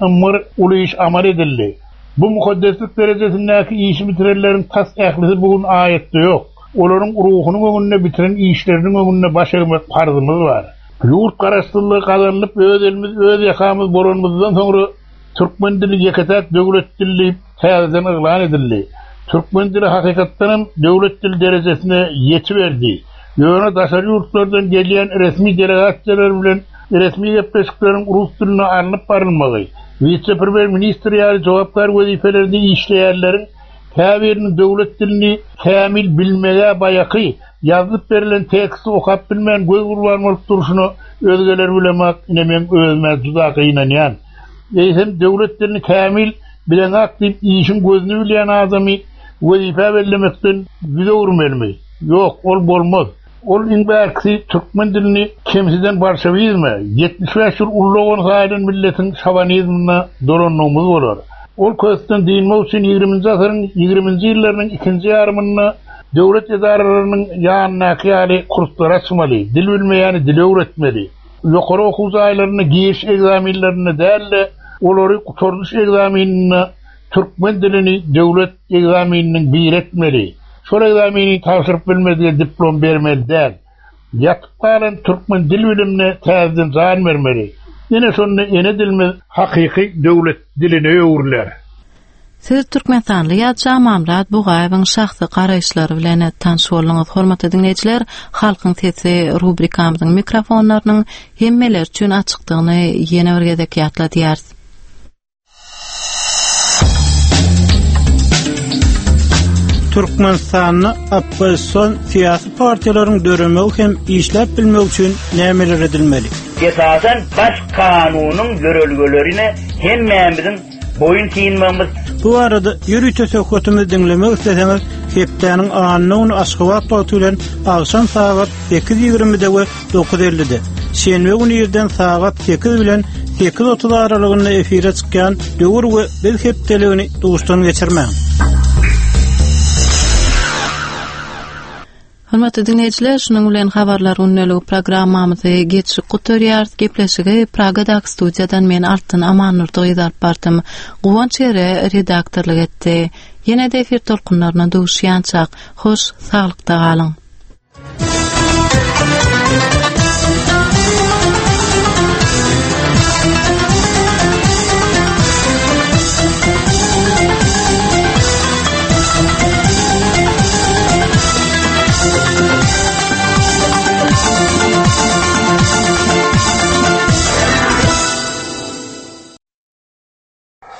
ymgyr uly iş amal edildi. Bu mukaddeslik derejesindäki işi bitirenleriň tas ählisi bu gün aýatda ýok. Olaryň ruhunyň öňünde, bitiren işleriniň öňünde baş egmek parzymyz bar. Ýurt garaşsyzlygy gazanylyp, öz elimiz, öz ýakamyz bolanymyzdan soňra türkmen dili ýeke-täk döwlet dili diýip täzeden yglan edildi. Türkmen dili hakykatdan hem döwlet dili derejesine ýetiberdi. Ýöne daşary ýurtlardan gelýän resmi delegasiýalar bilen resmi gepleşikleriň rus dilinde alnyp barylmagy, wise-premýer-ministr ýaly jogapkär wezipelerde işleýänleriň käbiriniň döwlet dilini kämil bilmeg-ä baýaky, ýazylyp berlen teksti okap bilmän göz gurban bolup durşuna özgeler bilemak ine meň özüm-ä juda gynanýan. Eýsem döwlet dilini kämil bileňak diýip işiň gözüni bilýän adamy wezipä bellemekden ýüz öwürmelimi? Ýok, ol bolmaz. Ol iň bärkisi türkmen dilini kemsiden bolşewizme, 75 ýyl ullagan saýylan milletiň şowanizmine dolandygymyz bolar. Ol kösden dynmak üçin ýigriminji asyryň ýigriminji ýyllarynyň ikinji ýarymynda döwlet edaralarynyň ýanyndaky ýaly kurslar açmaly, dil bilmeýäni dil öwretmeli. Ýokary okuw jaýlarynda giriş ekzamenlerinde däl-de, olary gutardyş ekzameninde türkmen dilini döwlet ekzameniniň biri etmeli. Şol ekzameni tabşyryp bilmedige diplom bermeli däl. Ýatyp galan türkmen dil bilimine täzeden jan bermeli. Ine şonda ene dilimiz hakyky döwlet diline öwrüler. Siz türkmenistanly ýazyjy Amanmyrat Bugaýewiň şahsy garaýyşlary bilen tanyş bolduňyz. Hormatly diňleýjiler, Halkyň sesi rubrikamyzyň mikrofonlarynyň hemmeler üçin açykdygyny ýene bir gezek ýatladýarys. Türkmenistanda oppozision syýasy partiýalaryň döremegi hem işläp bilmegi üçin nämeler edilmeli? Esasan Baş kanunyň ýörelgelerine hemmämiziň boýun synmagymyz. Bu barada ýörite söhbetimizi diňlemek isleseňiz, hepdäniň anna güni Aşgabat wagty bilen agşam sagat 8:20-de we 9:50-de, şenbe güni irden sagat 8 bilen 8:30 aralygynda efire çykýan Döwür we biz hepdeligini duşdan geçirmäň. Hormatly diňleýjiler, şunuň bilen Habarlar gündeligi programmamyzy geçip gutarýarys. Gepleşigi Pragadaky studiýadan men Altyn Amannurdy gyzy alyp bardym. Guwanç Ere redaktorlyk etdi. Ýene-de efir tolkunlaryna duşýançak, hoş, saglykda galyň!